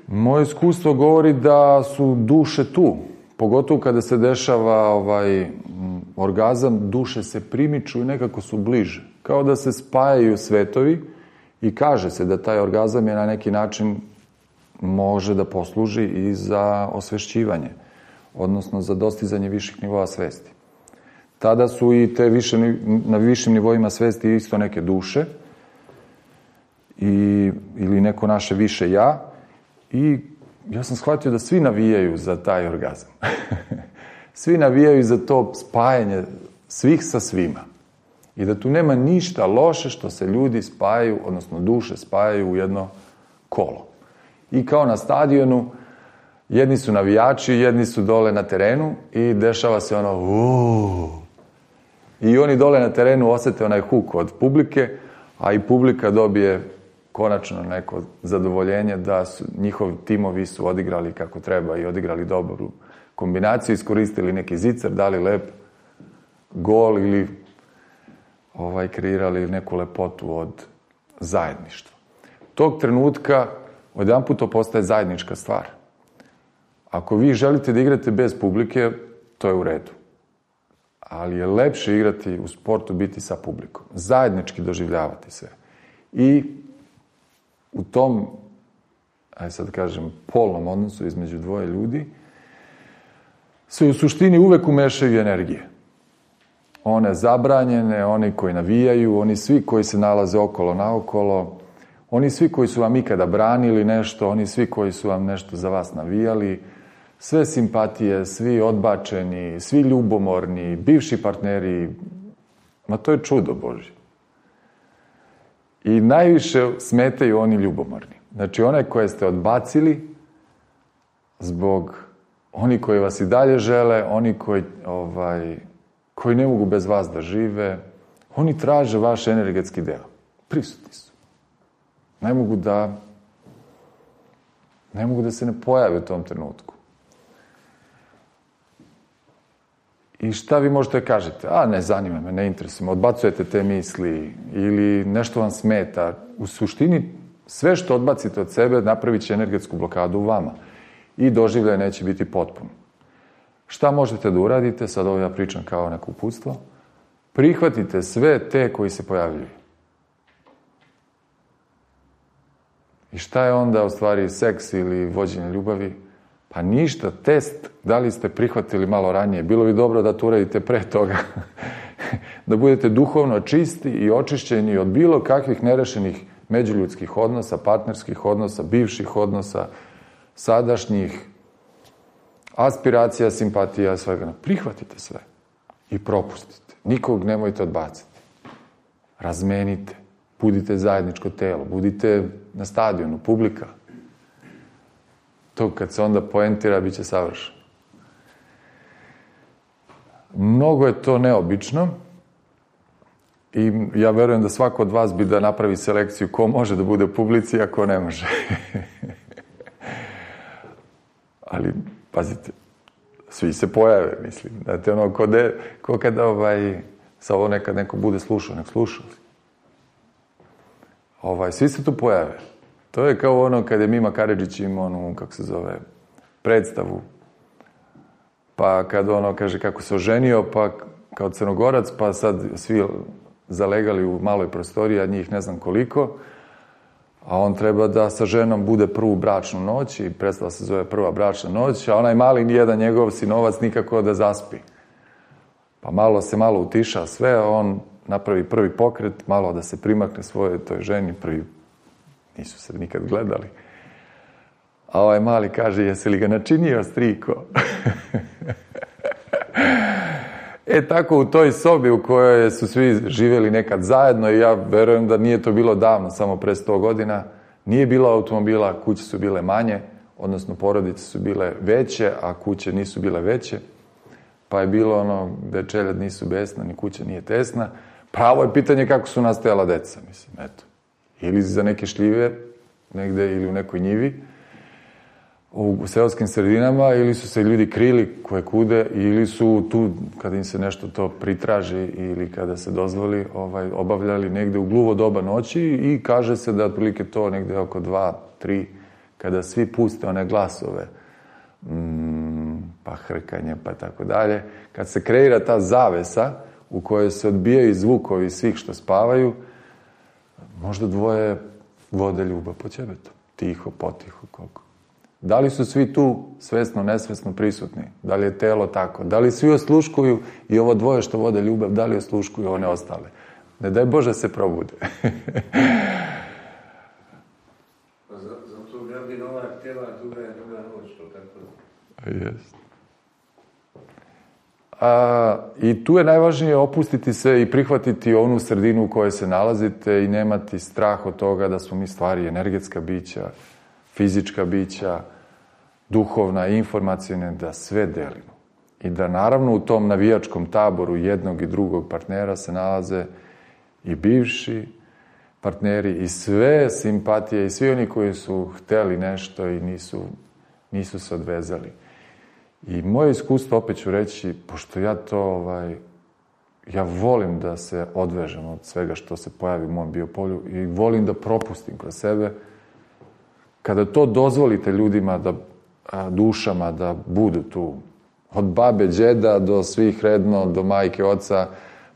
Moje iskustvo govori da su duše tu. Pogotovo kada se dešava orgazam, duše se primiču i nekako su bliže. Kao da se spajaju svetovi i kaže se da taj orgazam je na neki način može da posluži i za osvešćivanje, odnosno za dostizanje viših nivoa svesti. Tada su i te na višim nivoima svesti isto neke duše ili neko naše više ja, i ja sam shvatio da svi navijaju za taj orgazam. Svi navijaju za to spajanje svih sa svima. I da tu nema ništa loše što se ljudi spajaju, odnosno duše spajaju u jedno kolo. I kao na stadionu, jedni su navijači, jedni su dole na terenu i dešava se I oni dole na terenu osete onaj huk od publike, a i publika dobije konačno neko zadovoljenje da su njihovi timovi su odigrali kako treba i odigrali dobru kombinaciju, iskoristili neki zicer, dali lep gol ili kreirali neku lepotu od zajedništva. Tog trenutka odjedanput to postaje zajednička stvar. Ako vi želite da igrate bez publike, to je u redu. Ali je lepše igrati u sportu, biti sa publikom. Zajednički doživljavati sve. I u tom, sad kažem, polnom odnosu između dvoje ljudi se u suštini uvek umešaju energije. One zabranjene, oni koji navijaju, oni svi koji se nalaze okolo naokolo, oni svi koji su vam ikada branili nešto, oni svi koji su vam nešto za vas navijali, sve simpatije, svi odbačeni, svi ljubomorni, bivši partneri, ma to je čudo Božje. I najviše smetaju oni ljubomorni. Znači, one koje ste odbacili zbog oni koji vas i dalje žele, oni koji ne mogu bez vas da žive, oni traže vaš energetski deo. Prisutni su. Ne mogu da se ne pojave u tom trenutku. I šta vi možete kažete? Ne zanima me, ne interesuje me, odbacujete te misli ili nešto vam smeta. U suštini, sve što odbacite od sebe napravit će energetsku blokadu u vama i doživljaj neće biti potpun. Šta možete da uradite? Sad ovo ja pričam kao neko uputstvo. Prihvatite sve te koji se pojavljuju. I šta je onda u stvari seks ili vođenje ljubavi? Pa ništa, test, da li ste prihvatili malo ranije. Bilo bi dobro da to uradite pre toga. Da budete duhovno čisti i očišćeni od bilo kakvih nerešenih međuljudskih odnosa, partnerskih odnosa, bivših odnosa, sadašnjih, aspiracija, simpatija, svega. Prihvatite sve i propustite. Nikog nemojte odbaciti. Razmenite. Budite zajedničko telo. Budite na stadionu, publika. To kad se onda poentira, bit će savršeno. Mnogo je to neobično i ja verujem da svako od vas bi da napravi selekciju ko može da bude u publici, a ko ne može. Ali, pazite, svi se pojave, mislim. Znate, ko kada sa ovo nekad neko bude slušao, nek slušao. Svi se tu pojave. To je kao ono kada je Mima Karadžić imao onu, predstavu. Pa kad kaže kako se oženio, pa kao Crnogorac, pa sad svi zalegali u maloj prostoriji, a njih ne znam koliko, a on treba da sa ženom bude prvu bračnu noć i predstava se zove Prva bračna noć, a onaj mali nijedan njegov sinovac nikako da zaspi. Pa malo utiša sve, on napravi prvi pokret, malo da se primakne svojoj toj ženi, nisu se nikad gledali. A ovaj mali kaže, jesi li ga načinio, striko? Tako u toj sobi u kojoj su svi živjeli nekad zajedno, i ja verujem da nije to bilo davno, samo pre 100 godina, nije bilo automobila, kuće su bile manje, odnosno porodice su bile veće, a kuće nisu bile veće, pa je bilo ono gde čeljad nisu besna, ni kuća nije tesna. Pravo je pitanje kako su nastajala deca, mislim, eto. Ili za neke šljive, negde, ili u nekoj njivi, u seoskim sredinama, ili su se ljudi krili koje kude, ili su tu, kada im se nešto to pritraži ili kada se dozvoli, obavljali negde u gluvo doba noći, i kaže se da otprilike to negde oko 2, 3, kada svi puste one glasove, pa hrkanje, pa tako dalje, kad se kreira ta zavesa u kojoj se odbijaju zvukovi svih što spavaju, možda dvoje vode ljubav po ćebetu, tiho, potiho, koliko. Da li su svi tu svesno, nesvesno prisutni? Da li je telo tako? Da li svi osluškuju i ovo dvoje što vode ljubav, da li osluškuju one ostale? Ne daj Bože se probude. Zato gradi nova tela, druga je druga noć, to tako. Jest. I tu je najvažnije opustiti se i prihvatiti onu sredinu u kojoj se nalazite i nemati strah od toga da smo mi stvari energetska bića, fizička bića, duhovna, informacijne, da sve delimo. I da naravno u tom navijačkom taboru jednog i drugog partnera se nalaze i bivši partneri i sve simpatije i svi oni koji su hteli nešto i nisu se odvezali. I moje iskustvo, opet ću reći, pošto ja to, ja volim da se odvežem od svega što se pojavi u mom biopolju i volim da propustim kroz sebe. Kada to dozvolite ljudima, dušama da budu tu, od babe, đeda do svih redno, do majke, oca,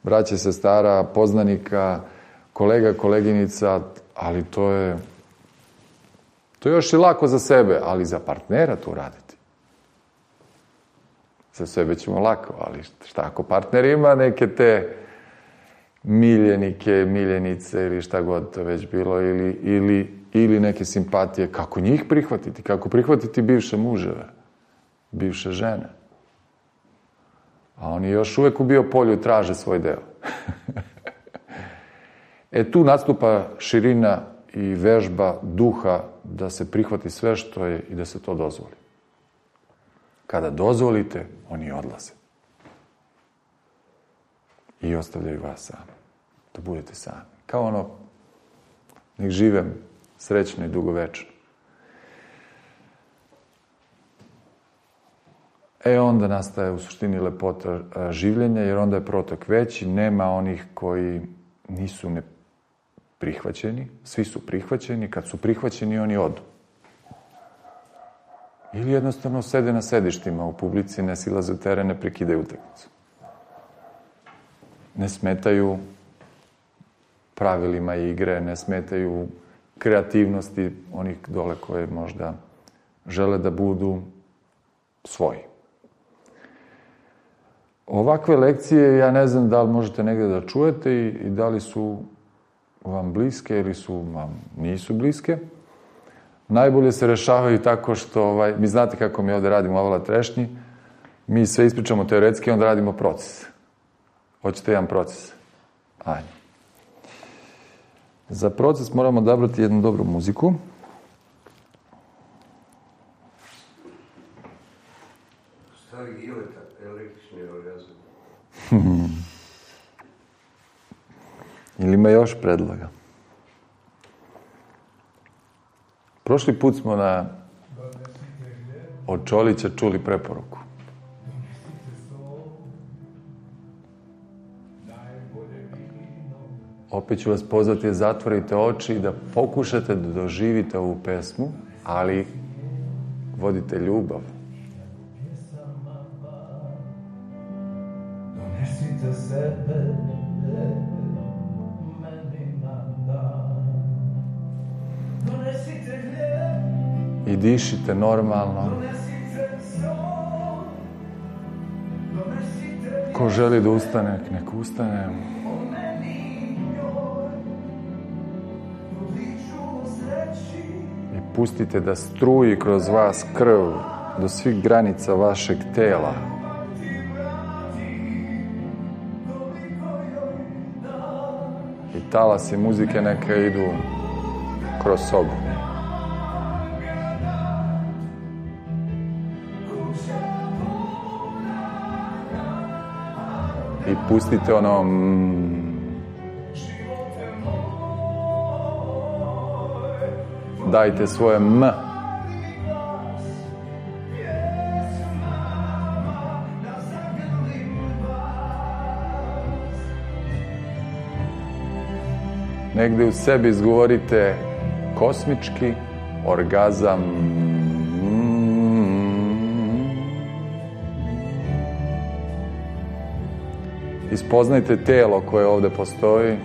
braće, sestara, poznanika, kolega, koleginica, ali to je još i lako za sebe, ali za partnera to raditi. Za sebe ćemo lako, ali šta ako partner ima neke te miljenike, miljenice ili šta god to već bilo, ili neke simpatije, kako njih prihvatiti, kako prihvatiti bivše muževe, bivše žene. A oni još uvek u biopolju traže svoj deo. Tu nastupa širina i vežba duha da se prihvati sve što je i da se to dozvoli. Kada dozvolite, oni odlaze. I ostavljaju vas sami. Da budete sami. Kao ono, nek živem srećno i dugovečno. Onda nastaje u suštini lepota življenja, jer onda je protok veći, nema onih koji nisu prihvaćeni, svi su prihvaćeni, kad su prihvaćeni oni odu. Ili jednostavno sede na sedištima u publici, ne silaze u teren, ne prekidaju utakmicu. Ne smetaju pravilima igre, ne smetaju kreativnosti onih dole koje možda žele da budu svoji. Ovakve lekcije, ja ne znam da li možete negde da čujete i da li su vam bliske ili vam nisu bliske. Najbolje se rešavaju tako što, mi znate kako mi ovde radimo Avala Trešnji, mi sve ispričamo teoretski, onda radimo proces. Hoćete jedan proces? Ajde. Za proces moramo odabrati jednu dobru muziku. Stari Gileta, električni orgazam. Ili ima još predloga? Prošli put smo od Čolića čuli preporuku. Opet ću vas pozvati da zatvorite oči i da pokušate da doživite ovu pesmu, ali vodite ljubav. Donesite sebe meni na dan. Donesite gljeb i dišite normalno. Donesite sol. Donesite Ko želi da ustane, nek ustane. I pustite da struji kroz vas krv do svih granica vašeg tela. I talasi muzike neka idu kroz sobu. I pustite ono dajte svoje m. Negde u sebi izgovorite kosmički orgazam. Ispoznajte telo koje ovde postoji.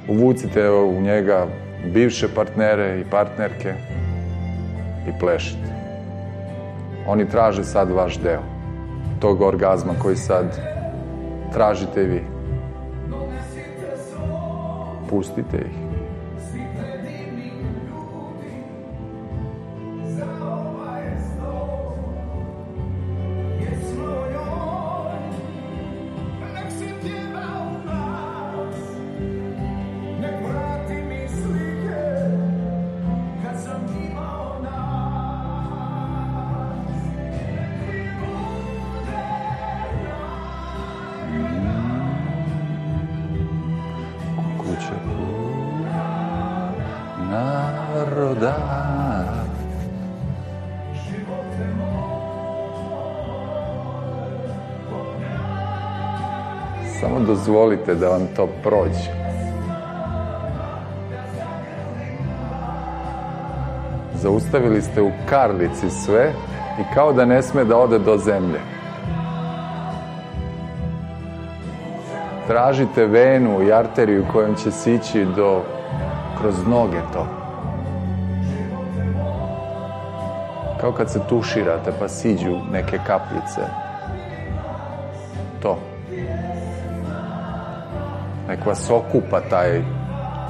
Uvucite u njega bivše partnere i partnerke i plešite. Oni traže sad vaš deo tog orgazma koji sad tražite vi. Pustite ih. Naroda. Samo dozvolite da vam to prođe. Zaustavili ste u Karlici sve i kao da ne sme da ode do zemlje. Tražite venu i arteriju kojom će sići kroz noge to. Kao kad se tuširate pa siđu neke kapljice. To. Nek vas okupa taj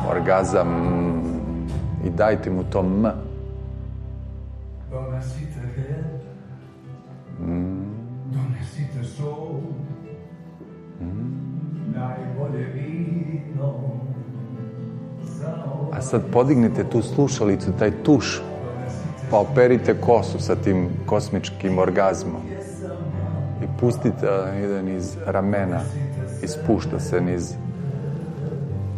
orgazam i dajte mu to m. Donesite sol, najbolje vino. A sad podignite tu slušalicu, taj tuš, pa operite kosu sa tim kosmičkim orgazmom. I pustite da ide niz ramena i spušta se niz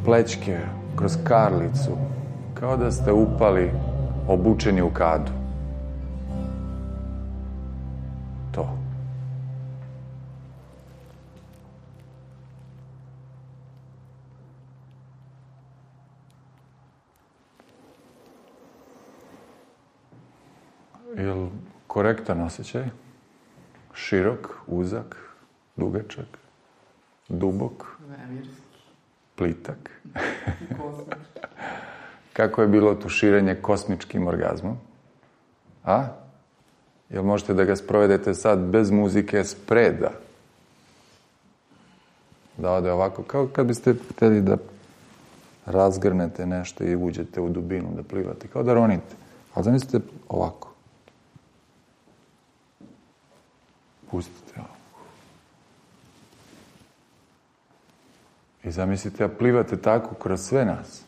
plećke, kroz Karlicu, kao da ste upali obučeni u kadu. To. Jel korektan osjećaj? Širok, uzak, dugačak, dubok, plitak. Kako je bilo tuširanje kosmičkim orgazmom? A? Jel možete da ga sprovedete sad bez muzike spreda? Da ode ovako, kao kad biste hteli da razgrnete nešto i uđete u dubinu, da plivate, kao da ronite. Ali zamislite ovako. Pustite ovo. I zamislite da plivate tako kroz sve nas.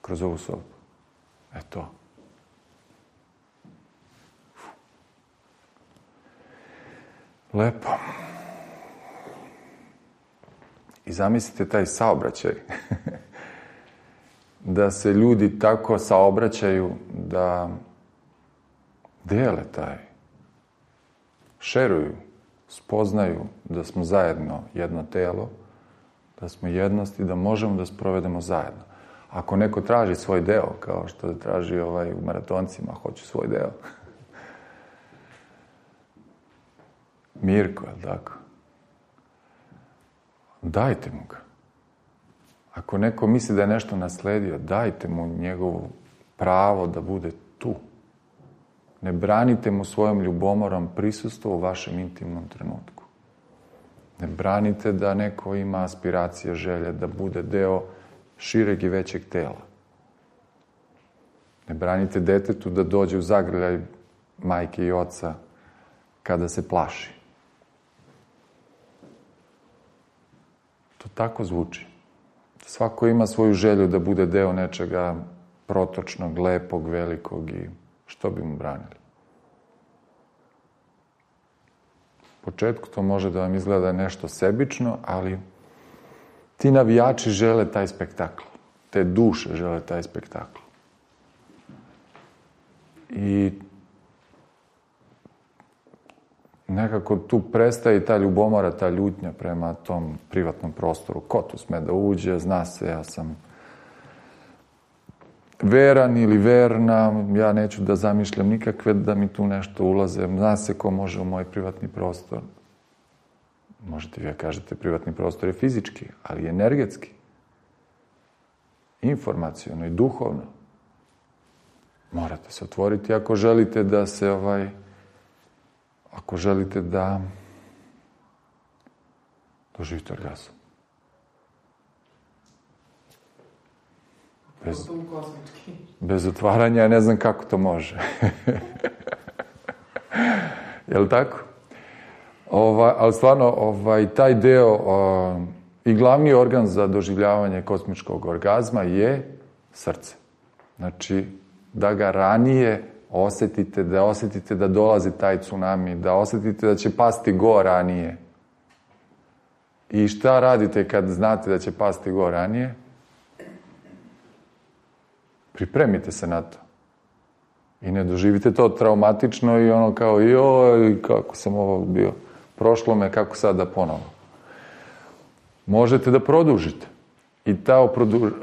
Kroz ovu sobu. To. Lepo. I zamislite taj saobraćaj. Da se ljudi tako saobraćaju da dele taj, šeruju, spoznaju da smo zajedno jedno telo, da smo jednost i da možemo da sprovedemo zajedno. Ako neko traži svoj deo, kao što traži u maratoncima, hoću svoj deo. Mirko, je li tako? Dajte mu ga. Ako neko misli da je nešto nasledio, dajte mu njegovo pravo da bude tu. Ne branite mu svojom ljubomorom prisustvo u vašem intimnom trenutku. Ne branite da neko ima aspiracije, želje, da bude deo šireg i većeg tela. Ne branite detetu da dođe u zagrljaj majke i oca kada se plaši. To tako zvuči. Svako ima svoju želju da bude deo nečega protočnog, lepog, velikog i što bi mu branili. U početku to može da vam izgleda nešto sebično, ali ti navijači žele taj spektakl. Te duše žele taj spektakl. I nekako tu prestaje ta ljubomora, ta ljutnja prema tom privatnom prostoru. Ko tu sme da uđe, zna se, ja sam veran ili verna, ja neću da zamišljam nikakve da mi tu nešto ulaze, zna se ko može u moj privatni prostor. Možete vi da kažete privatni prostor je fizički, ali i energetski, informaciono i duhovno. Morate se otvoriti ako želite da se ako želite da doživite orgazam. Bez otvaranja, ja ne znam kako to može. Je li tako? Ali stvarno, taj deo i glavni organ za doživljavanje kosmičkog orgazma je srce. Znači, da ga ranije osetite da dolazi taj tsunami, da osetite da će pasti go ranije. I šta radite kad znate da će pasti go ranije? Pripremite se na to. I ne doživite to traumatično i ono kao, joj, kako sam ovo bio. Prošlo me, kako sad da ponovo. Možete da produžite. I ta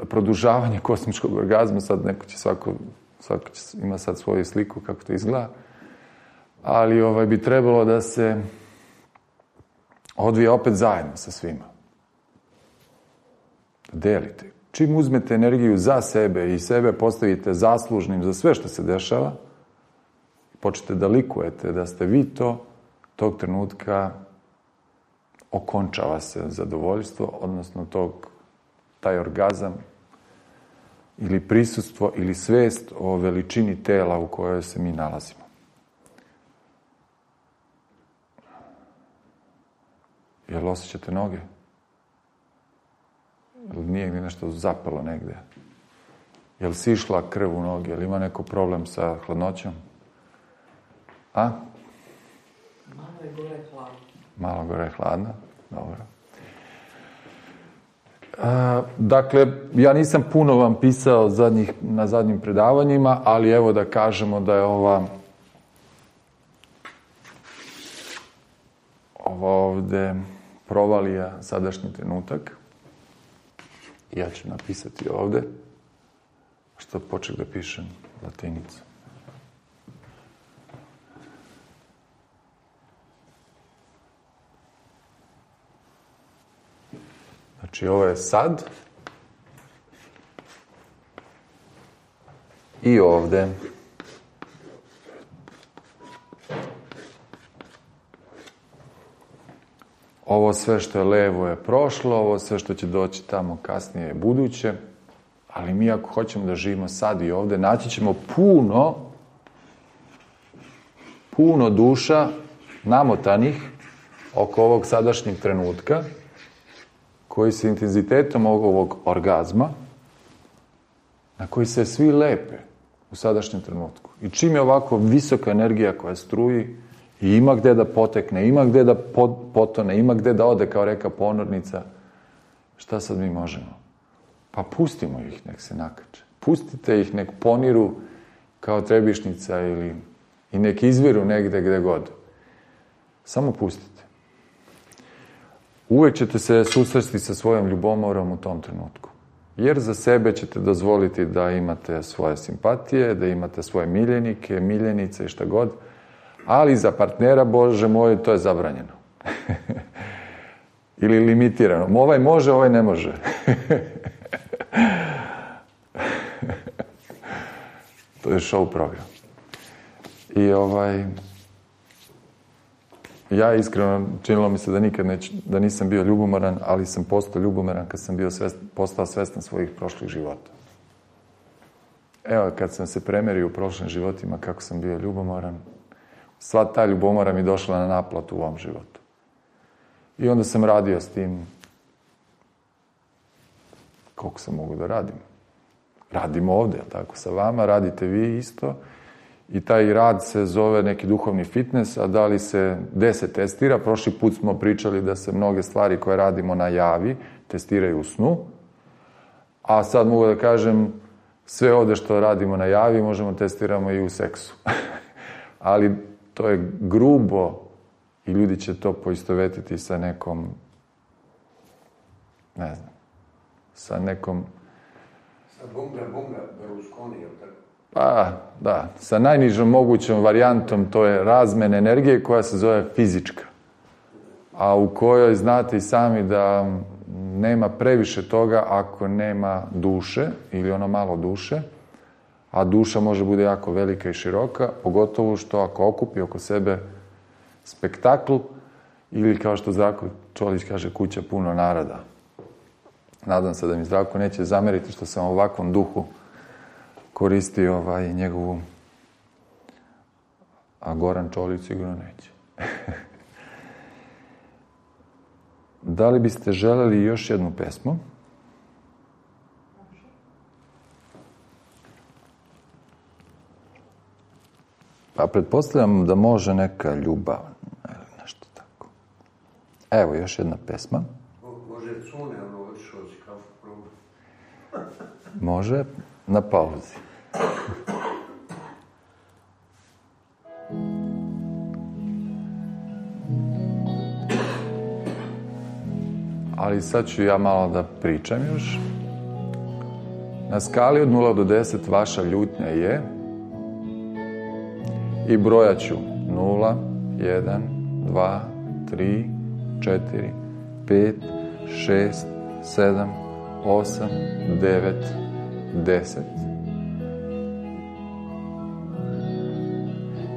produžavanje kosmičkog orgazma, sad neko će svako ima sad svoju sliku kako to izgleda, ali bi trebalo da se odvija opet zajedno sa svima. Delite. Čim uzmete energiju za sebe i sebe postavite zaslužnim za sve što se dešava, počnete da likujete da ste vi to, tog trenutka okončava se zadovoljstvo, odnosno taj orgazam ili prisustvo ili svest o veličini tela u kojoj se mi nalazimo. Jel osjećate noge? Jel nije nešto zapelo negde? Jel si išla krv u noge? Jel ima neko problem sa hladnoćom? A? Malo je gore hladno. Malo gore hladno? Dobro. Dakle, ja nisam puno vam pisao na zadnjim predavanjima, ali evo da kažemo da je ova ovde provalija sadašnji trenutak. Ja ću napisati ovde, što poček da pišem latinicu. Znači, ovo je sad i ovde. Ovo sve što je levo je prošlo, ovo sve što će doći tamo kasnije je buduće, ali mi ako hoćemo da živimo sad i ovde, naći ćemo puno duša namotanih oko ovog sadašnjeg trenutka, koji se intenzitetom ovog orgazma, na koji se svi lepe u sadašnjem trenutku. I čim je ovako visoka energija koja struji i ima gde da potekne, ima gde da potone, ima gde da ode kao reka ponornica, šta sad mi možemo? Pa pustimo ih, nek se nakače. Pustite ih, nek poniru kao trebišnica i nek izviru negde gde god. Samo pustite. Uvek ćete se susresti sa svojom ljubomorom u tom trenutku. Jer za sebe ćete dozvoliti da imate svoje simpatije, da imate svoje miljenike, miljenice i šta god, ali za partnera, Bože moj, to je zabranjeno. Ili limitirano. Ovaj može, ovaj ne može. To je show program. I Ja iskreno, činilo mi se da nikad da nisam bio ljubomoran, ali sam postao ljubomoran kad sam postao svestan svojih prošlih života. Evo, kad sam se premerio u prošlim životima kako sam bio ljubomoran, sva ta ljubomora mi došla na naplatu u ovom životu. I onda sam radio s tim koliko sam mogu da radim. Radimo ovdje, tako, sa vama, radite vi isto. I taj rad se zove neki duhovni fitness, a da li se 10 testira? Prošli put smo pričali da se mnoge stvari koje radimo na javi testiraju u snu, a sad mogu da kažem sve ovdje što radimo na javi možemo testiramo i u seksu. Ali to je grubo i ljudi će to poistovetiti sa nekom, ne znam, sa nekom... Sa bunga, Berlusconi, ili tako? Pa, da, sa najnižom mogućom varijantom, to je razmjena energije koja se zove fizička. A u kojoj znate i sami da nema previše toga ako nema duše, ili ono malo duše, a duša može bude jako velika i široka, pogotovo što ako okupi oko sebe spektakl, ili kao što Zdravko Čolić kaže, kuća puno naroda. Nadam se da mi Zdravko neće zameriti što sam u ovakvom duhu koristio njegovu, a Goran Čolić sigurno neće. Da li biste želeli još jednu pesmu? Pa pretpostavljam da može neka ljubav ili nešto tako. Evo još jedna pesma. Može Cune, ono odšao si kafu probu. Može, na pauzi. Ali sad ću ja malo da pričam još. Na skali od 0 do 10 vaša ljutnja je i brojat ću 0, 1, 2, 3, 4, 5, 6, 7, 8, 9, 10.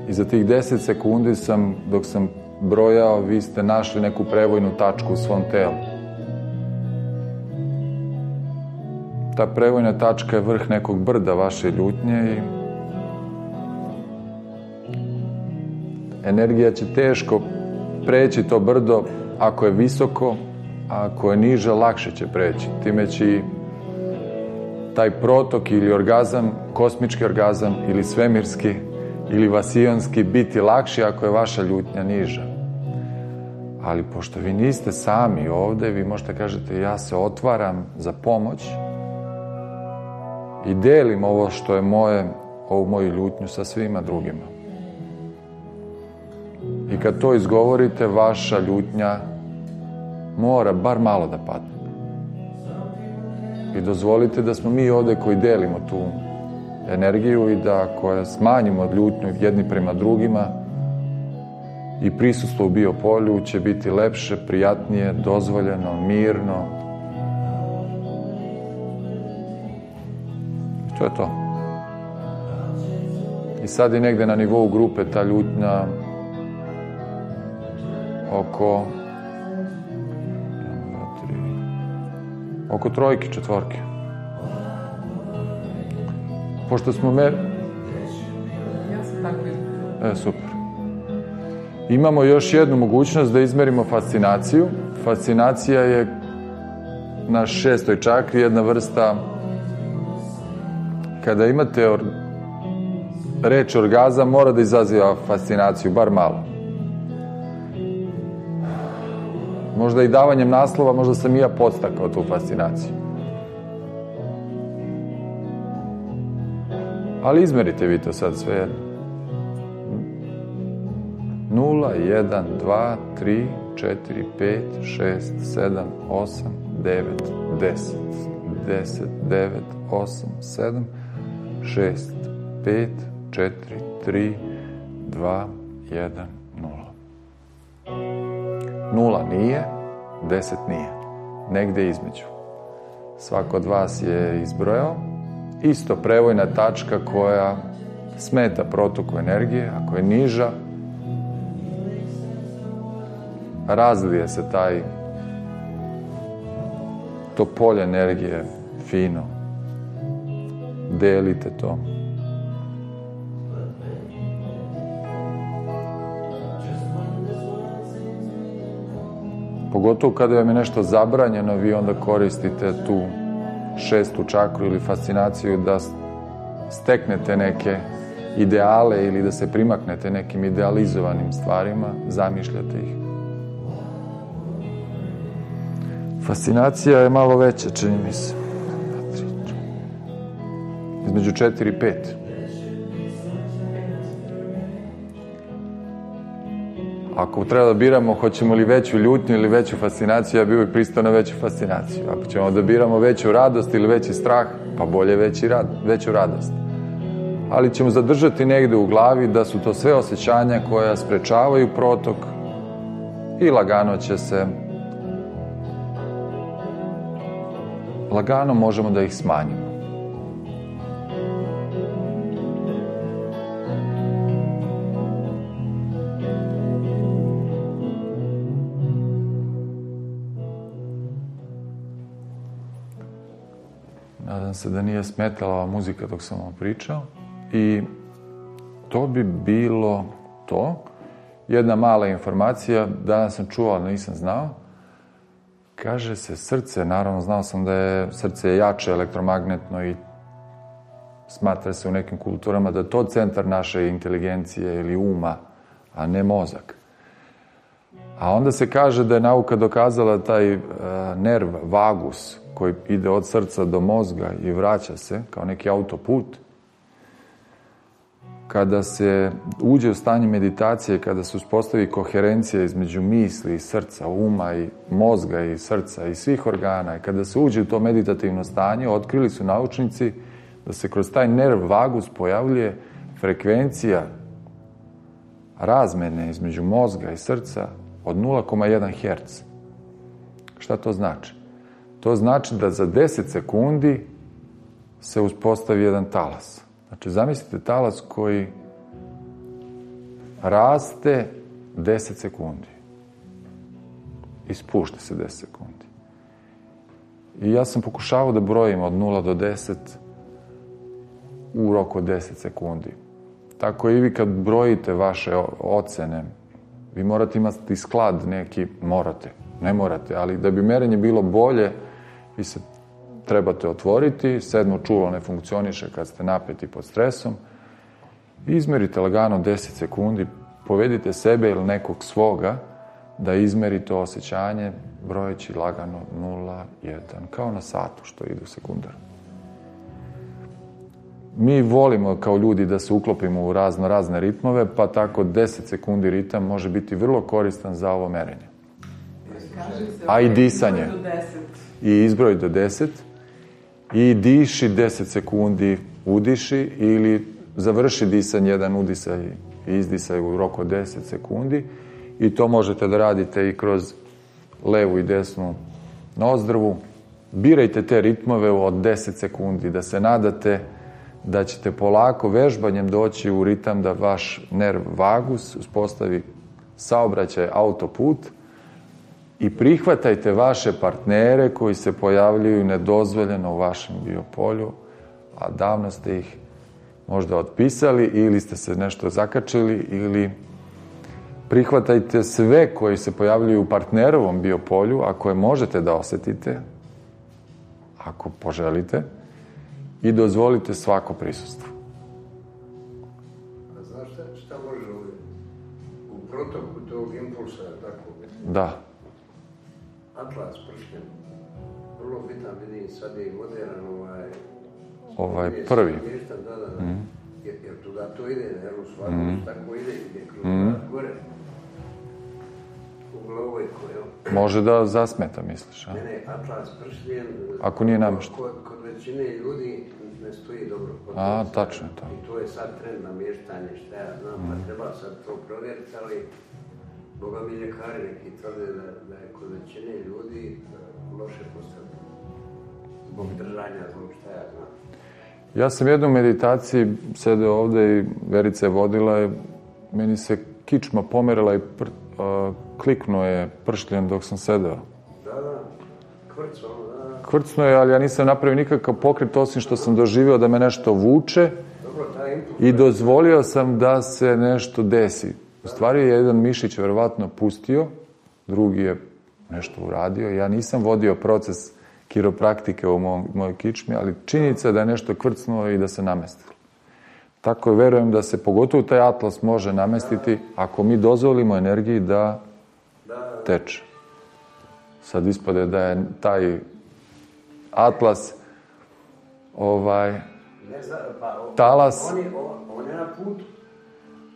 I za tih 10 sekundi dok sam brojao, vi ste našli neku prevojnu tačku u svom telu. Ta prevojna tačka je vrh nekog brda vaše ljutnje i energija će teško preći to brdo ako je visoko, a ako je niže, lakše će preći. Time će i taj protok ili orgazam, kosmički orgazam ili svemirski ili vasijonski biti lakši ako je vaša ljutnja niža. Ali pošto vi niste sami ovdje, vi možete kažete ja se otvaram za pomoć i delim ovo što je moje, ovu moju ljutnju sa svima drugima. I kad to izgovorite, vaša ljutnja mora bar malo da padne. I dozvolite da smo mi ovdje koji delimo tu energiju i da koja smanjimo ljutnju jedni prema drugima i prisustvo u biopolju će biti lepše, prijatnije, dozvoljeno, mirno. I to je to. I sad je negde na nivou grupe ta ljutnja oko 3, 4. Pošto smo Ja sam tako izgledala. Super. Imamo još jednu mogućnost da izmerimo fascinaciju. Fascinacija je na 6. čakri jedna vrsta, kada imate reč orgazam, mora da izaziva fascinaciju, bar malo. Možda i davanjem naslova, možda sam i ja podstakao tu fascinaciju. Ali izmerite vi to sad sve jedno. 0, 1, 2, 3, 4, 5, 6, 7, 8, 9, 10. 10, 9, 8, 7, 6, 5, 4, 3, 2, 1, 0. 0 nije, 10 nije. Negde između. Svako od vas je izbrojao. Isto prevojna tačka koja smeta protoku energije, ako je niža, razlije se to polje energije fino. Delite to. Pogotovo kada vam je nešto zabranjeno, vi onda koristite tu 6. čakru ili fascinaciju da steknete neke ideale ili da se primaknete nekim idealizovanim stvarima, zamišljate ih. Fascinacija je malo veća, čini mi se. Između 4 i 5. Ako treba da biramo hoćemo li veću ljutnju ili veću fascinaciju, ja bih uvijek pristao na veću fascinaciju. Ako ćemo da biramo veću radost ili veći strah, pa bolje veću radost. Ali ćemo zadržati negde u glavi da su to sve osjećanja koja sprečavaju protok i lagano možemo da ih smanjimo. Nadam se da nije smetala ova muzika dok sam vam pričao. I to bi bilo to. Jedna mala informacija, danas sam čuo, ali nisam znao. Kaže se srce, naravno znao sam da je srce jače elektromagnetno i smatra se u nekim kulturama da je to centar naše inteligencije ili uma, a ne mozak. A onda se kaže da je nauka dokazala taj nerv vagus koji ide od srca do mozga i vraća se kao neki autoput. Kada se uđe u stanje meditacije, kada se uspostavi koherencija između misli i srca, uma i mozga i srca i svih organa, i kada se uđe u to meditativno stanje, otkrili su naučnici da se kroz taj nerv vagus pojavljuje frekvencija razmene između mozga i srca od 0,1 Hz. Šta to znači? To znači da za 10 sekundi se uspostavi jedan talas. Znači, zamislite talas koji raste 10 sekundi i spušta se 10 sekundi. I ja sam pokušavao da brojim od 0 do 10 u roku od 10 sekundi. Tako i vi kad brojite vaše ocene, vi morate imati sklad neki, ne morate, ali da bi merenje bilo bolje, vi se trebate otvoriti, 7. čulo ne funkcioniše kad ste napeti pod stresom, izmerite lagano 10 sekundi, povedite sebe ili nekog svoga da izmeri to osjećanje brojeći lagano 0, 1, kao na satu što ide u sekundar. Mi volimo kao ljudi da se uklopimo u razne ritmove, pa tako 10 sekundi ritam može biti vrlo koristan za ovo merenje. A i disanje. I izbroj do 10. I diši 10 sekundi, udiši ili završi disanje, jedan udisaj i izdisaj u roku od 10 sekundi. I to možete da radite i kroz levu i desnu nozdrvu. Birajte te ritmove od 10 sekundi, da se nadate da ćete polako vežbanjem doći u ritam da vaš nerv vagus uspostavi saobraćaj autoput i prihvatajte vaše partnere koji se pojavljuju nedozvoljeno u vašem biopolju, a davno ste ih možda otpisali ili ste se nešto zakačili, ili prihvatajte sve koji se pojavljuju u partnerovom biopolju, a koje možete da osetite, ako poželite, i dozvolite svako prisustvo. A znaš šta može u protoku tog impulsa, tako? Da. Atlas pršljen. Vrlo bitan, vidim, sad je i modern ovaj prvi. Da. Jer tuda to ide, jer u svaku tako ide kroz gore. U glavojku, jel? Može da zasmeta, misliš, a? Ne, Atlas pršljen. Ako nije namješten. Kod većine ljudi ne stoji dobro. A, tačno je to. I to je sad trend namještanje, šta ja znam, pa treba sad to provjeriti, ali Boga mi ljekari neki tvrde da je kod većine ljudi loše postavljeno. Zbog držanja, zbog šta ja znam. Ja sam jednu meditaciji sedeo ovde i Verica je vodila i meni se kičma pomerila kliknuo je pršljen dok sam sedeo. Da, kvrcno, da. Kvrcnuo je, ali ja nisam napravio nikakav pokret, osim što sam doživio da me nešto vuče. Dobro, taj input. I dozvolio sam da se nešto desi. U stvari je jedan mišić verovatno pustio, drugi je nešto uradio. Ja nisam vodio proces kiropraktike u mojoj kičmi, ali činjenica je da je nešto kvrcnuo i da se namestilo. Tako je, verujem da se pogotovo taj atlas može namestiti ako mi dozvolimo energiji da teče. Sad ispade da je taj atlas talas. On je na putu.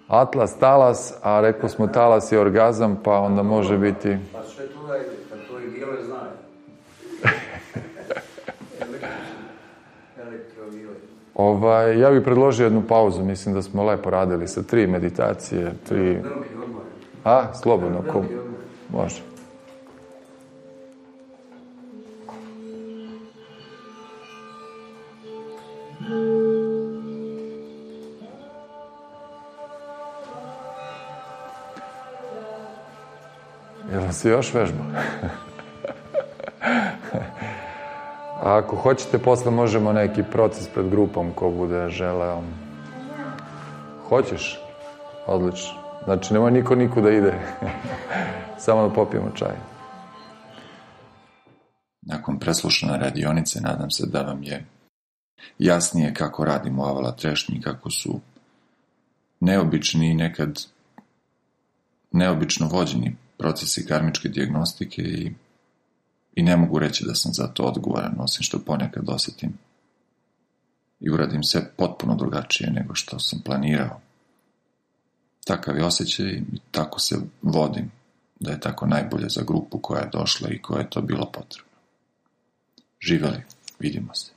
Atlas, talas, a rekli smo talas je orgazam, pa onda može biti... Pa sve tu da ide, pa to i bijele znaju. Elektrovile. Ja bih predložio jednu pauzu, mislim da smo lepo radili sa 3 meditacije, 3... Veliki odmor. Slobodno, može. Jel se još vežba? A ako hoćete, posle možemo neki proces pred grupom ko bude želeo. Hoćeš? Odlično. Znači, nemoj niko da ide. Samo da popijemo čaj. Nakon preslušane radionice, nadam se da vam je jasnije kako radimo avala trešnji, kako su neobični i nekad neobično vođeni procesi karmičke dijagnostike i ne mogu reći da sam za to odgovoran, osim što ponekad osjetim i uradim sve potpuno drugačije nego što sam planirao. Takav je osjećaj i tako se vodim, da je tako najbolje za grupu koja je došla i koja je to bilo potrebno. Živeli, vidimo se.